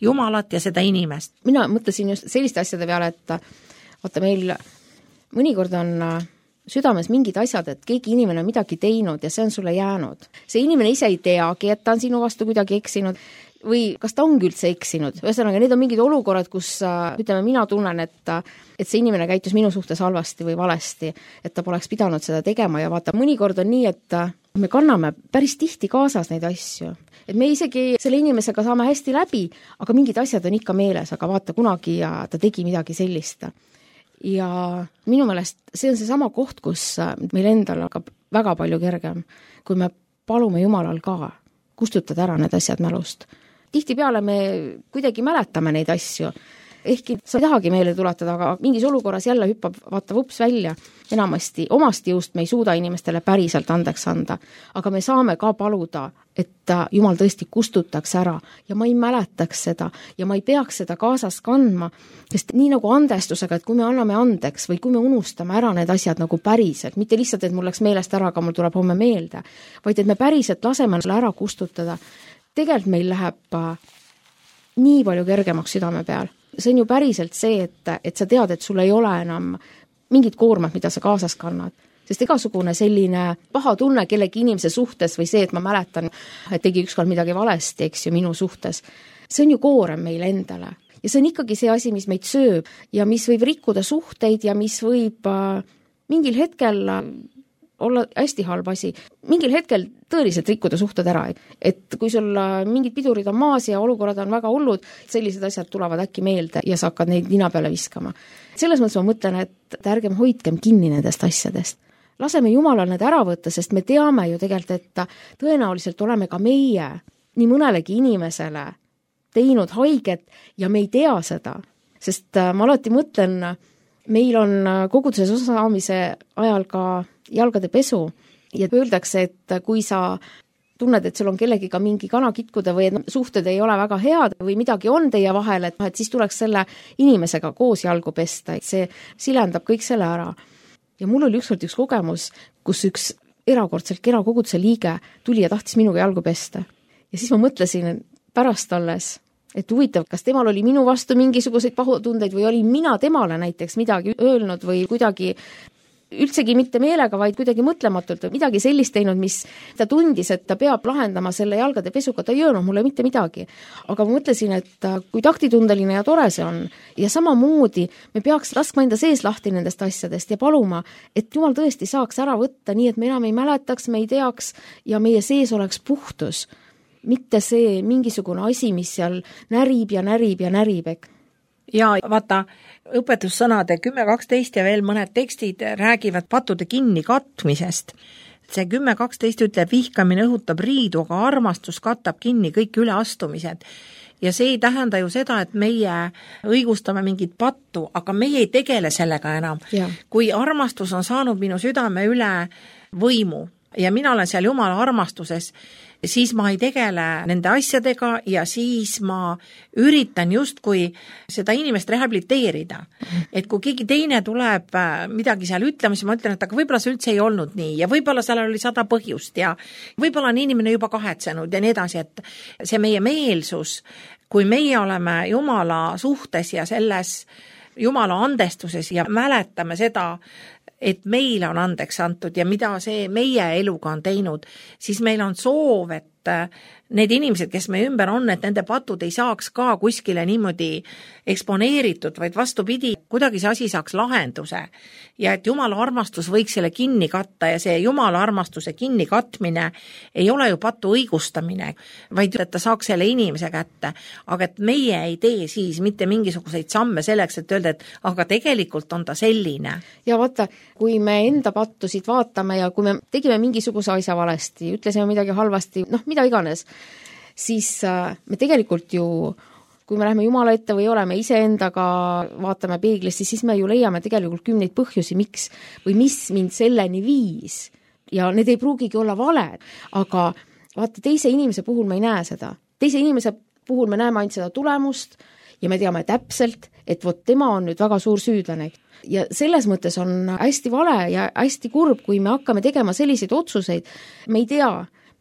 Jumalat ja seda inimest. Mina mõtlesin just selliste asjade peale, et vaata meil mõnikord on südames mingid asjad, et keegi inimene on midagi teinud ja see on sulle jäänud. See inimene ise ei teagi, et ta on sinu vastu kuidagi eksinud või kas ta ongi üldse eksinud. Ühesõnaga, need on mingid olukorrad, kus ütleme, mina tunnen, et see inimene käitus minu suhtes halvasti või valesti, et ta poleks pidanud seda tegema ja vaata, mõnikord on nii, et me kanname päris tihti kaasas neid asju. Et me isegi selle inimesega saame hästi läbi, aga mingid asjad on ikka meeles, aga vaata kunagi ja ta tegi midagi sellist. Ja minu meelest see on see sama koht, kus meil endal hakkab väga palju kergem, kui me palume Jumalal ka kustutada ära need asjad mälust. Tihtipeale me kuidagi mäletame neid asju, ehkki sa ei tahagi meelde tuletada, aga mingis olukorras jälle hüppab vaata vups välja. Enamasti omast jõust me ei suuda inimestele päriselt andeks anda, aga me saame ka paluda, et Jumal tõesti kustutaks ära ja ma ei mäletaks seda ja ma ei peaks seda kaasas kandma, sest nii nagu andestusega, et kui me anname andeks või kui me unustame ära need asjad nagu päriselt, mitte lihtsalt, et mul läks meelest ära, aga mul tuleb homme meelde, vaid et me päriselt laseme selle ära kustutada, tegelikult meil läheb nii palju kergemaks südame peal. See on ju päriselt see, et sa tead, et sul ei ole enam mingit koormat, mida sa kaasas kannad. Sest igasugune selline paha tunne kellegi inimese suhtes või see, et ma mäletan, et tegi ükskord midagi valesti, eks ju, minu suhtes, see on ju koorem meile endale. Ja see on ikkagi see asi, mis meid sööb ja mis võib rikkuda suhteid ja mis võib mingil hetkel olla hästi halb asi. Mingil hetkel tõeliselt rikkuda suhted ära. Et kui sul mingid pidurid on maas ja olukorrad on väga hullud, sellised asjad tulevad äkki meelde ja sa hakkad neid nina peale viskama. Selles mõttes ma mõtlen, et ärgem hoidkem kinni nendest asjadest. Laseme Jumalal need ära võtta, sest me teame ju tegelikult, et tõenäoliselt oleme ka meie nii mõnelegi inimesele teinud haiget ja me ei tea seda. Sest ma alati mõtlen, meil on koguduses osaamise ajal ka jalgade pesu ja öeldakse, et kui sa tunned, et sul on kellegiga mingi kana kitkuda või et suhted ei ole väga head või midagi on teie vahel, et siis tuleks selle inimesega koos jalgu pesta, et see silendab kõik selle ära. Ja mul oli ükskord üks kogemus, kus üks erakordselt kena koguduse liige tuli ja tahtis minuga jalgu pesta. Ja siis ma mõtlesin pärast alles, et huvitav, kas temal oli minu vastu mingisuguseid pahutundeid või oli mina temale näiteks midagi öelnud või kuidagi üldsegi mitte meelega, vaid kuidagi mõtlematult või midagi sellist teinud, mis ta tundis, et ta peab lahendama selle jalgade pesuga, ta ei öelnud mulle mitte midagi. Aga ma mõtlesin, et kui taktitundeline ja tore see on ja samamoodi me peaks laskma enda sees lahti nendest asjadest ja paluma, et Jumal tõesti saaks ära võtta nii, et me enam ei mäletaks, me ei teaks ja meie sees oleks puhtus. Mitte see mingisugune asi, mis seal närib ja närib ja närib. Ja vaata, õpetussõnade 10.12 ja veel mõned tekstid räägivad pattude kinni katmisest. See 10.12 ütleb, vihkamine õhutab riidu, aga armastus katab kinni kõik üleastumised. Ja see ei tähenda ju seda, et meie õigustame mingit pattu, aga meie ei tegele sellega enam. Ja. Kui armastus on saanud minu südame üle võimu ja mina olen seal Jumala armastuses, siis ma ei tegele nende asjadega ja siis ma üritan justkui seda inimest rehabiliteerida. Et kui keegi teine tuleb midagi seal ütlema, siis ma ütlen, et aga võib-olla see üldse ei olnud nii ja võib-olla seal oli 100 põhjust ja võib-olla on inimene juba kahetsenud ja nii edasi, et see meie meelsus, kui meie oleme Jumala suhtes ja selles Jumala andestuses ja mäletame seda, et meile on andeks antud ja mida see meie eluga on teinud, siis meil on soov, et need inimesed, kes me ümber on, et nende patud ei saaks ka kuskile niimoodi eksponeeritud, vaid vastupidi, kuidagi see asi saaks lahenduse ja et Jumala armastus võiks selle kinni katta ja see Jumala armastuse kinni katmine ei ole ju patu õigustamine, vaid et ta saaks selle inimese kätte, aga et meie ei tee siis mitte mingisuguseid samme selleks, et öelda, et aga tegelikult on ta selline. Ja vaata, kui me enda pattusid vaatame ja kui me tegime mingisuguse asja valesti, ütlesime midagi halvasti, mida iganes, siis me tegelikult ju, kui me läheme Jumala ette või oleme iseendaga, vaatame peeglisse, siis me ju leiame tegelikult 10 põhjusi, miks või mis mind selleni viis. Ja need ei pruugigi olla valed, aga vaata, teise inimese puhul me ei näe seda. Teise inimese puhul me näeme ainult seda tulemust ja me teame täpselt, et vot tema on nüüd väga suur süüdlane. Ja selles mõttes on hästi vale ja hästi kurb, kui me hakkame tegema selliseid otsuseid, me ei tea,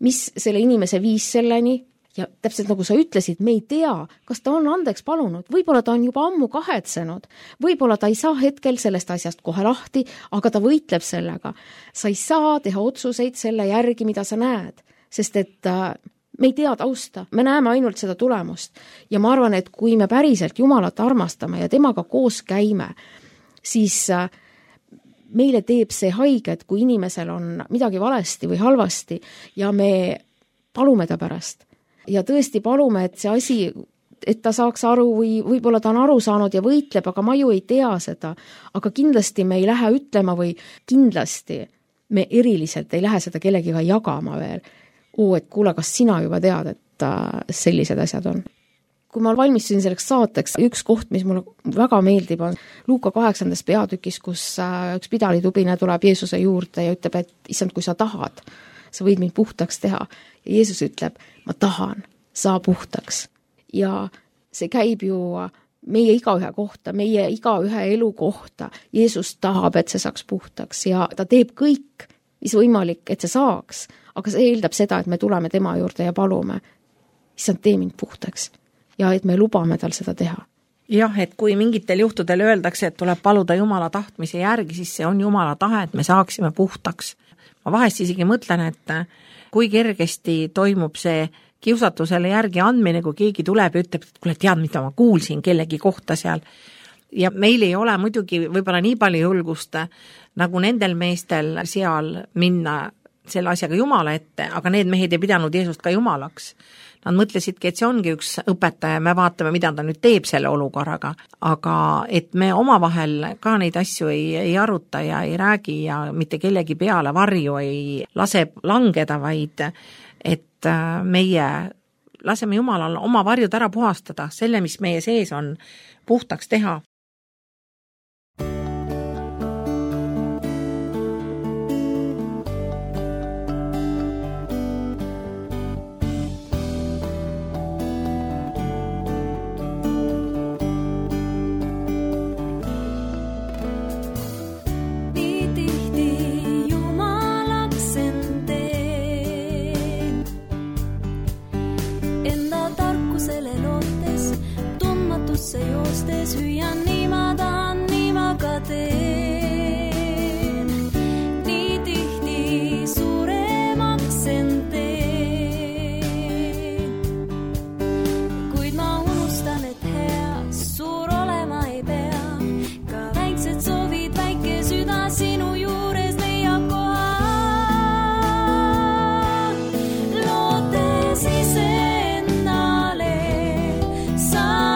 mis selle inimese viis selleni ja täpselt nagu sa ütlesid, me ei tea, kas ta on andeks palunud, võib-olla ta on juba ammu kahetsenud, võib-olla ta ei saa hetkel sellest asjast kohe lahti, aga ta võitleb sellega. Sa ei saa teha otsuseid selle järgi, mida sa näed, sest et me ei tea tausta, me näeme ainult seda tulemust ja ma arvan, et kui me päriselt Jumalat armastame ja temaga koos käime, siis meile teeb see haiget, kui inimesel on midagi valesti või halvasti ja me palume ta pärast. Ja tõesti palume, et see asi, et ta saaks aru või võib-olla ta on aru saanud ja võitleb, aga ma ju ei tea seda. Aga kindlasti me ei lähe ütlema või kindlasti me eriliselt ei lähe seda kellegiga jagama veel. Et kuule, kas sina juba tead, et sellised asjad on? Kui ma valmistusin selleks saateks, üks koht, mis mulle väga meeldib, on Luuka 8. peatükis, kus üks pidalitubine tuleb Jeesuse juurde ja ütleb, et issand, kui sa tahad, sa võid mind puhtaks teha. Ja Jeesus ütleb, ma tahan, saa puhtaks. Ja see käib ju meie igaühe kohta, meie igaühe elu kohta. Jeesus tahab, et see saaks puhtaks ja ta teeb kõik, mis võimalik, et see saaks. Aga see eeldab seda, et me tuleme tema juurde ja palume. Issand, tee mind puhtaks. Ja et me lubame tal seda teha. jah, et kui mingitel juhtudel öeldakse, et tuleb paluda Jumala tahtmise järgi, siis see on Jumala tahe, et me saaksime puhtaks. Ma vahest isegi mõtlen, et kui kergesti toimub see kiusatusele järgi andmine, kui keegi tuleb ja ütleb, et kuule, tead, mida ma kuulsin kellegi kohta seal. Ja meil ei ole muidugi võib-olla nii palju julgust nagu nendel meestel seal minna selle asjaga Jumala ette, aga need mehed ei pidanud Jeesust ka Jumalaks. Nad mõtlesidki, et see ongi üks õpetaja, me vaatame, mida ta nüüd teeb selle olukorraga, aga et me omavahel ka neid asju ei aruta ja ei räägi ja mitte kellegi peale varju ei lase langeda, vaid et meie laseme Jumalal oma varjud ära puhastada, selle, mis meie sees on, puhtaks teha. Joostes hüüan, nii ma tahan, nii ma ka teen. Nii tihti suuremaks end teen. Kuid ma unustan, et hea suur olema ei pea. Ka väiksed soovid, väike süda sinu juures leiab koha. Lootes iseennale sa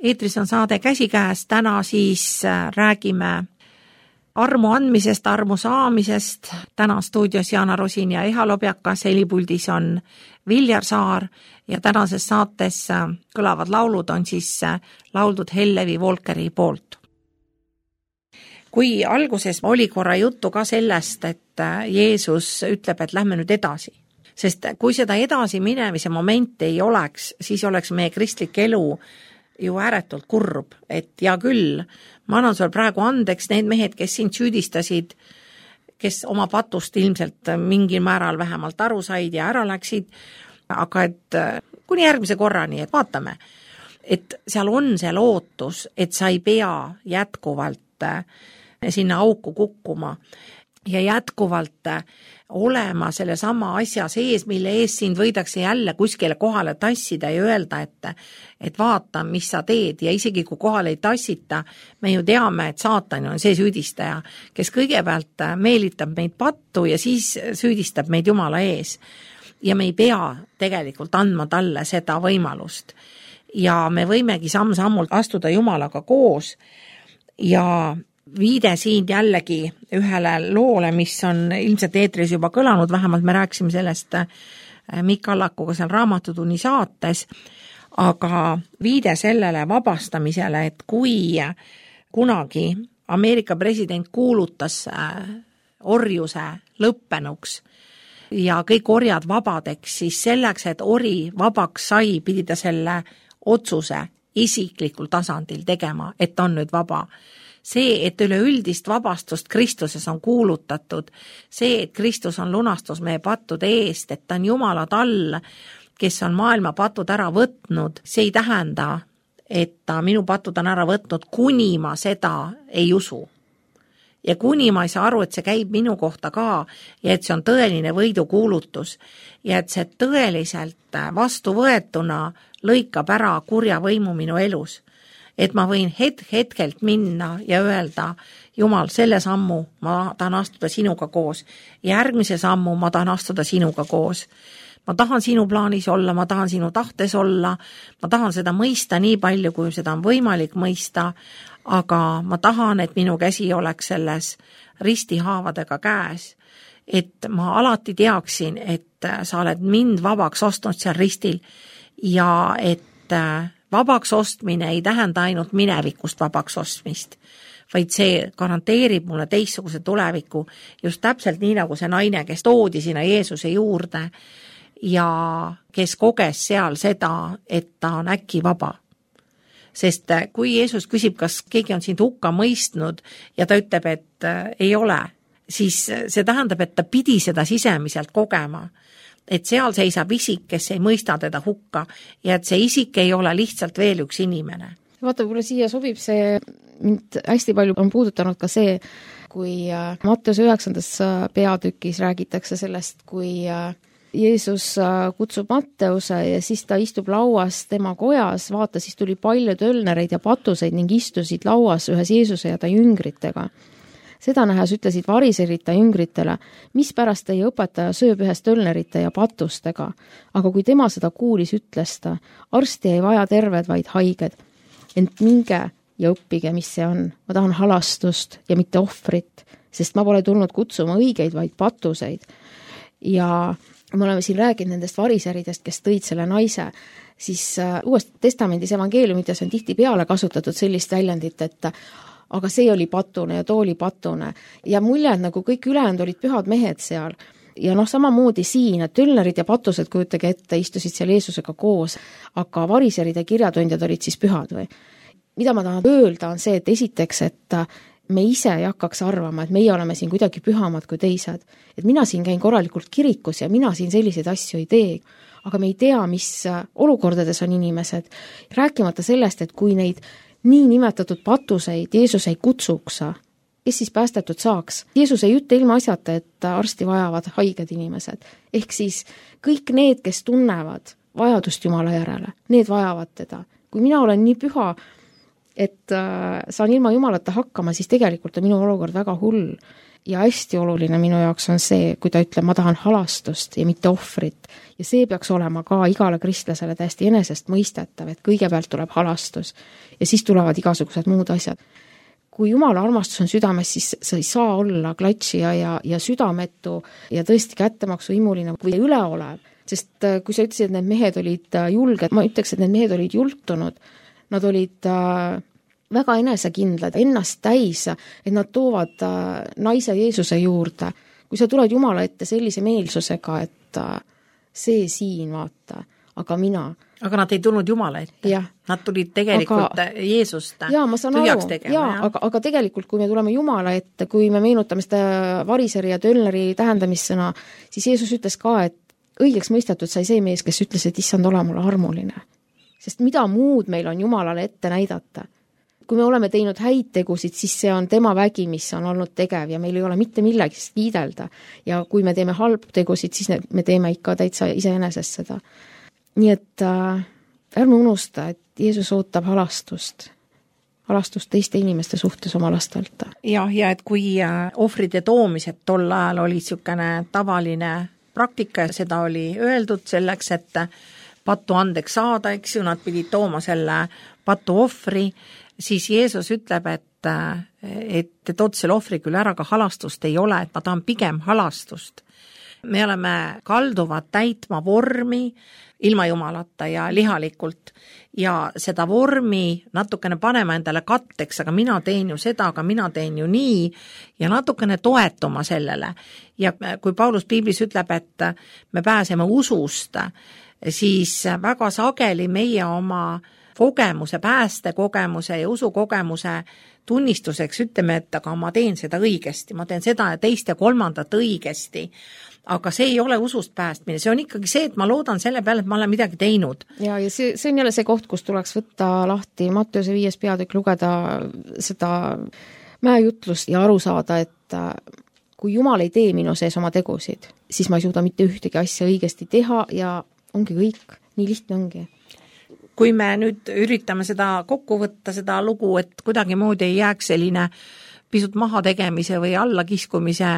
Eetris on saade Käsikäes, täna siis räägime armu andmisest, armu saamisest. Täna stuudios Jana Rosin ja Eha Lobjakas, helipuldis on Viljar Saar ja tänases saates kõlavad laulud on siis lauldud Hellevi Volkeri poolt. Kui alguses oli korra juttu ka sellest, et Jeesus ütleb, et lähme nüüd edasi, sest kui seda edasi minemise momenti ei oleks, siis oleks meie kristlik elu ju ääretult kurb, et ja küll, ma annan sul praegu andeks need mehed, kes sind süüdistasid, kes oma patust ilmselt mingil määral vähemalt aru said ja ära läksid, aga et kuni järgmise korrani, et vaatame, et seal on see lootus, et sa ei pea jätkuvalt sinna auku kukkuma ja jätkuvalt olema selle sama asja sees, mille ees sind võidakse jälle kuskile kohale tassida ja öelda, et vaata, mis sa teed ja isegi kui kohale ei tassita, me ju teame, et saatan on see süüdistaja, kes kõigepealt meelitab meid pattu ja siis süüdistab meid Jumala ees. Ja me ei pea tegelikult andma talle seda võimalust. Ja me võimegi samm-sammult astuda Jumalaga koos ja viide siin jällegi ühele loole, mis on ilmselt eetris juba kõlanud, vähemalt me rääkisime sellest Mikk Allakuga seal Raamatutunni saates, aga viide sellele vabastamisele, et kui kunagi Ameerika president kuulutas orjuse lõppenuks, ja kõik orjad vabadeks, siis selleks, et ori vabaks sai, pidi ta selle otsuse isiklikul tasandil tegema, et ta on nüüd vaba. See, et üleüldist vabastust Kristuses on kuulutatud, see, et Kristus on lunastus meie pattude eest, et ta on Jumala tall, kes on maailma patud ära võtnud, see ei tähenda, et ta minu patud on ära võtnud, kuni ma seda ei usu. Ja kuni ma ei saa aru, et see käib minu kohta ka ja et see on tõeline võidukuulutus ja et see tõeliselt vastuvõetuna lõikab ära kurja võimu minu elus. Et ma võin hetkelt minna ja öelda, Jumal, selle sammu ma tahan astuda sinuga koos, järgmise sammu ma tahan astuda sinuga koos. Ma tahan sinu plaanis olla, ma tahan sinu tahtes olla, ma tahan seda mõista nii palju, kui seda on võimalik mõista, aga ma tahan, et minu käsi oleks selles ristihaavadega käes, et ma alati teaksin, et sa oled mind vabaks ostnud seal ristil ja et vabaks ostmine ei tähenda ainult minevikust vabaks ostmist, vaid see garanteerib mulle teistsuguse tuleviku just täpselt nii nagu see naine, kes toodi sinna Jeesuse juurde ja kes koges seal seda, et ta on äkki vaba. Sest kui Jeesus küsib, kas keegi on sind hukka mõistnud ja ta ütleb, et ei ole, siis see tähendab, et ta pidi seda sisemiselt kogema. Et seal seisab isik, kes ei mõista teda hukka ja et see isik ei ole lihtsalt veel üks inimene. Vaata, kuule siia sobib see, mind hästi palju on puudutanud ka see, kui Matteuse 9. peatükis räägitakse sellest, kui Jeesus kutsub Matteuse ja siis ta istub lauas tema kojas, vaata, siis tuli palju tölnereid ja patuseid ning istusid lauas ühes Jeesuse ja ta jüngritega. Seda nähes ütlesid variserid ta jüngritele, mis pärast teie õpetaja sööb ühes tölnerite ja patustega. Aga kui tema seda kuulis, ütles ta, arsti ei vaja terved, vaid haiged. Ent minge ja õppige, mis see on. Ma tahan halastust ja mitte ohvrit, sest ma pole tulnud kutsuma õigeid, vaid patuseid. Ja me oleme siin rääkinud nendest variseridest, kes tõid selle naise, siis Uues Testamendis evangeeliumites on tihti peale kasutatud sellist väljendit, et aga see oli patune ja too oli patune. Ja mulje, et nagu kõik ülejäänud olid pühad mehed seal. Ja samamoodi siin, et tölnerid ja patused, kujutage ette, istusid seal Jeesusega koos, aga variserid ja kirjatundjad olid siis pühad või? Mida ma tahan öelda on see, et esiteks, et me ise ei hakkaks arvama, et meie oleme siin kuidagi pühamad kui teised. Et mina siin käin korralikult kirikus ja mina siin selliseid asju ei tee. Aga me ei tea, mis olukordades on inimesed. Rääkimata sellest, et kui neid nii nimetatud patuseid Jeesus ei kutsuks, kes siis päästetud saaks. Jeesus ei ütle ilma asjata, et arsti vajavad haiged inimesed. Ehk siis kõik need, kes tunnevad vajadust Jumala järele, need vajavad teda. Kui mina olen nii püha, et saan ilma Jumalata hakkama, siis tegelikult on minu olukord väga hull. Ja hästi oluline minu jaoks on see, kui ta ütleb, ma tahan halastust ja mitte ohvrit. Ja see peaks olema ka igale kristlasele täiesti enesest mõistetav, et kõigepealt tuleb halastus ja siis tulevad igasugused muud asjad. Kui Jumala armastus on südames, siis sa ei saa olla klatšija ja südametu ja tõesti kättemaksu imuline või üleolev. Sest kui sa ütlesid, et need mehed olid julged, ma ütleks, et need mehed olid jultunud, nad olid väga enesekindlad, ennast täis, et nad toovad naise Jeesuse juurde. Kui sa tuled Jumala ette sellise meelsusega, et see siin vaata, aga mina. Aga nad ei tulnud Jumala ette. Ja. Nad tulid tegelikult Jeesust tühjaks tegema. Aga tegelikult, kui me tuleme Jumala ette, kui me meenutame seda variseri ja tölneri tähendamissõna, siis Jeesus ütles ka, et õigeks mõistetud sai see mees, kes ütles, et issand, ole mulle armuline. Sest mida muud meil on Jumalale ette näidata? Kui me oleme teinud häid tegusid, siis see on tema vägi, mis on olnud tegev ja meil ei ole mitte millegist kiidelda. Ja kui me teeme halbu tegusid, siis me teeme ikka täitsa iseenesest seda. Nii et ärme unusta, et Jeesus ootab halastust teiste inimeste suhtes oma lastelt. Ja et kui ohvride toomised tol ajal oli niisugune tavaline praktika ja seda oli öeldud selleks, et pattu andeks saada, eks ju, nad pidid tooma selle patu ohvri, siis Jeesus ütleb, et tood selle ohvri küll ära, aga halastust ei ole, et ma tahan pigem halastust. me oleme kalduvad täitma vormi ilma Jumalata ja lihalikult ja seda vormi natukene panema endale katteks, aga mina teen ju seda, aga mina teen ju nii ja natukene toetuma sellele. Ja kui Paulus piiblis ütleb, et me pääseme usust, siis väga sageli meie oma kogemuse, päästekogemuse ja usukogemuse tunnistuseks ütleme, et aga ma teen seda õigesti, ma teen seda ja teist ja kolmandat õigesti, aga see ei ole usust päästmine, see on ikkagi see, et ma loodan selle peale, et ma olen midagi teinud. Ja see on jälle see koht, kus tuleks võtta lahti Matteuse 5. peatükk, lugeda seda mäejutlust ja aru saada, et kui Jumal ei tee minu sees oma tegusid, siis ma ei suuda mitte ühtegi asja õigesti teha ja ongi kõik, nii lihtne ongi. Kui me nüüd üritame seda kokku võtta, seda lugu, et kuidagimoodi ei jääks selline pisut mahategemise või allakiskumise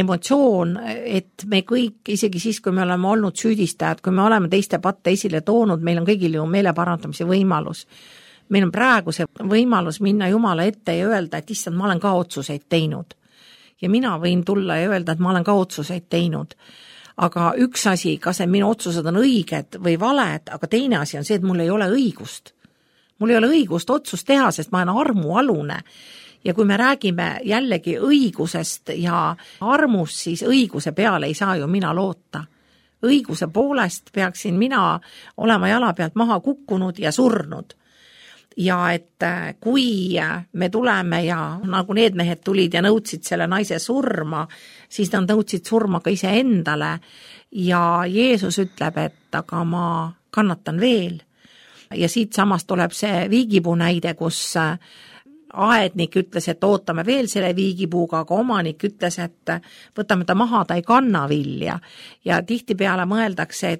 emotsioon, et me kõik, isegi siis, kui me oleme olnud süüdistajad, kui me oleme teiste patte esile toonud, meil on kõigil ju meeleparandamise võimalus. Meil on praegu see võimalus minna Jumala ette ja öelda, et issand, ma olen ka otsuseid teinud. Ja mina võin tulla ja öelda, et ma olen ka otsuseid teinud. Aga üks asi, kas minu otsused on õiged või valed, aga teine asi on see, et mul ei ole õigust. Mul ei ole õigust otsust teha, sest ma olen armualune. Ja kui me räägime jällegi õigusest ja armust, siis õiguse peale ei saa ju mina loota. Õiguse poolest peaksin mina olema jala pealt maha kukkunud ja surnud. Ja et kui me tuleme ja nagu need mehed tulid ja nõudsid selle naise surma, siis nad nõudsid surma ka ise endale ja Jeesus ütleb, et aga ma kannatan veel. Ja siit samast tuleb see viigipuu näide, kus aednik ütles, et ootame veel selle viigipuuga, aga omanik ütles, et võtame ta maha, ta ei kanna vilja. Ja tihtipeale mõeldakse,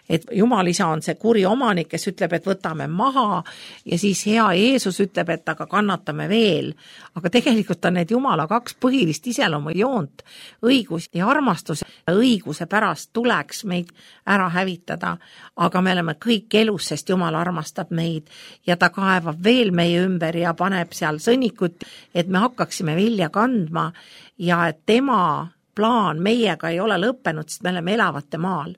et Jumal isa on see kuri omanik, kes ütleb, et võtame maha ja siis hea Jeesus ütleb, et aga kannatame veel. Aga tegelikult on need Jumala kaks põhilist iseloomu joont, õigus ja armastus. Õiguse pärast tuleks meid ära hävitada, aga me oleme kõik elus, sest Jumal armastab meid ja ta kaevab veel meie ümber ja paneb seal sõnnikut, et me hakkaksime vilja kandma ja et tema plaan meiega ei ole lõppenud, sest me oleme elavate maal.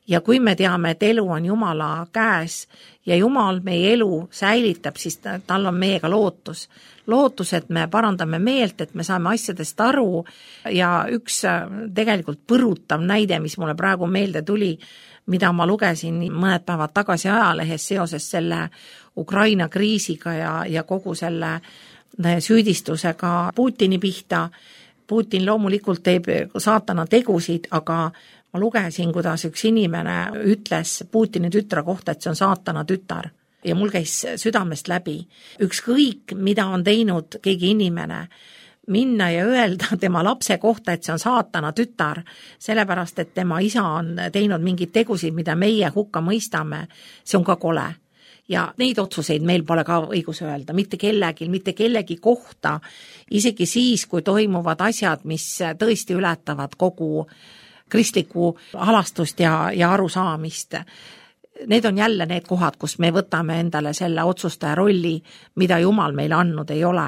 Ja kui me teame, et elu on Jumala käes ja Jumal meie elu säilitab, siis tal on meiega lootus. Lootus, et me parandame meelt, et me saame asjadest aru ja üks tegelikult põrutav näide, mis mulle praegu meelde tuli, mida ma lugesin mõned päevad tagasi ajalehes seoses selle Ukraina kriisiga ja kogu selle süüdistusega Putini pihta. Putin loomulikult teeb saatana tegusid, aga ma lugesin, kuidas üks inimene ütles Putini tütre kohta, et see on saatana tütar. Ja mul käis südamest läbi. Ükskõik, mida on teinud keegi inimene, minna ja öelda tema lapse kohta, et see on saatana tütar, sellepärast, et tema isa on teinud mingeid tegusid, mida meie hukka mõistame, see on ka kole. Ja neid otsuseid meil pole ka õigus öelda, mitte kellegi kohta, isegi siis, kui toimuvad asjad, mis tõesti ületavad kogu kristlikku halastust ja arusaamist. Need on jälle need kohad, kus me võtame endale selle otsustaja rolli, mida Jumal meile andnud ei ole.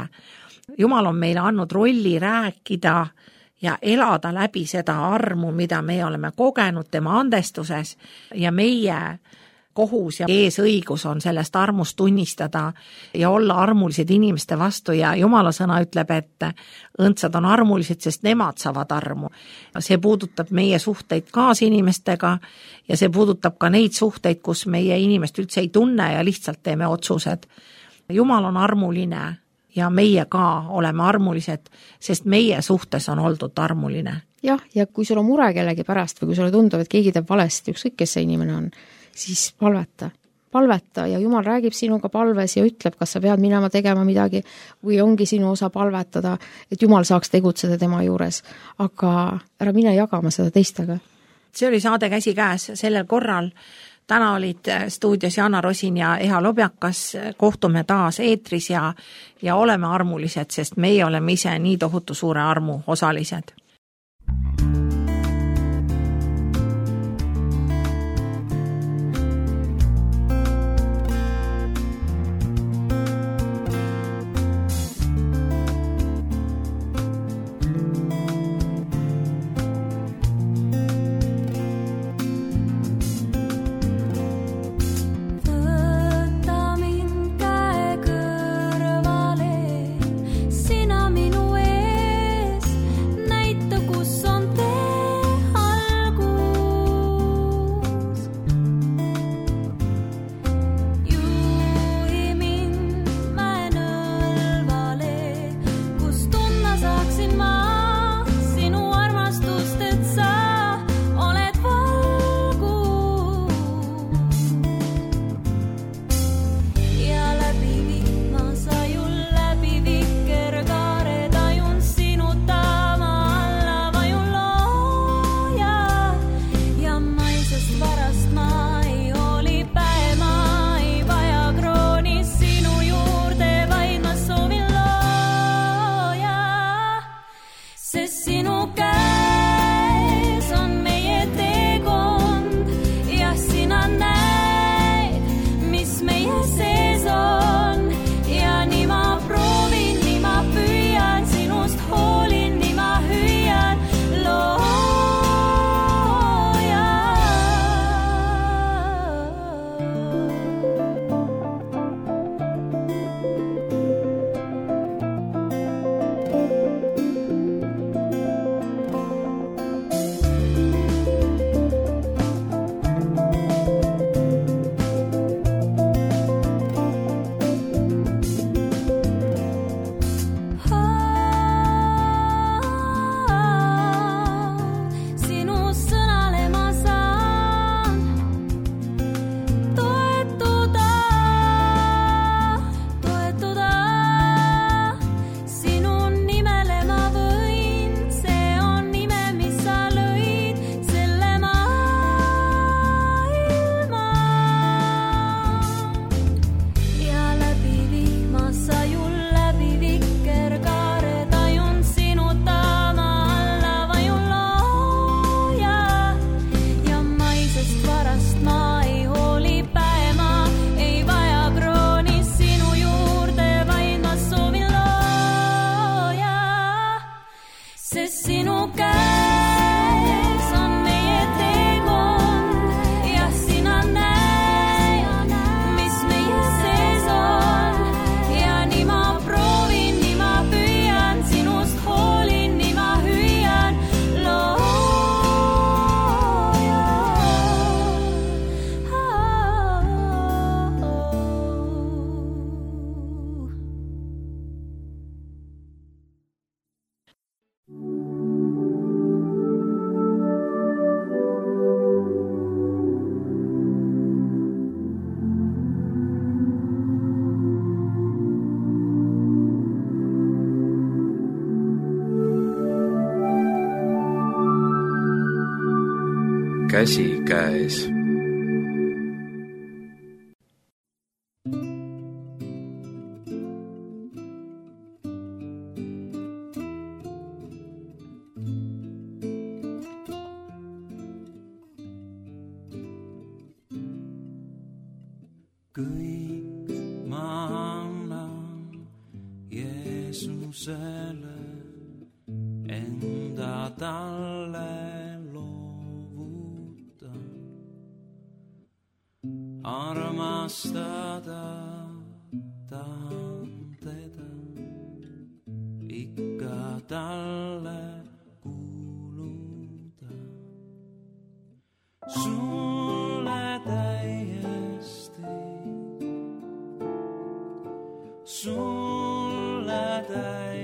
Jumal on meile andnud rolli rääkida ja elada läbi seda armu, mida me oleme kogenud tema andestuses ja meie kohus ja eesõigus on sellest armust tunnistada ja olla armulised inimeste vastu ja Jumala sõna ütleb, et õndsad on armulised, sest nemad saavad armu. See puudutab meie suhteid kaasinimestega ja see puudutab ka neid suhteid, kus meie inimest üldse ei tunne ja lihtsalt teeme otsused. Jumal on armuline ja meie ka oleme armulised, sest meie suhtes on oldud armuline. Jah, ja kui sul on mure kellegi pärast või kui sulle tundub, et keegi teeb valesti, ükskõik kes see inimene on, siis palveta ja Jumal räägib sinuga palves ja ütleb, kas sa pead minema tegema midagi või ongi sinu osa palvetada, et Jumal saaks tegutseda tema juures, aga ära mine jagama seda teistega. See oli saade Käsikäes sellel korral. Täna olid stuudios Jana Rosin ja Eha Lobjakas, kohtume taas eetris ja oleme armulised, sest meie oleme ise nii tohutu suure armu osalised. sest sinu käes on meie teekond ja sina näed, mis meie sees on ja nii ma proovin, nii ma püüan, sinust hoolin, nii ma hüüan, käsi käes. Kõik ma annan Jeesusele, enda talle armastada tahan teda, ikka talle kuuluda. Sulle täiesti, sulle täiesti.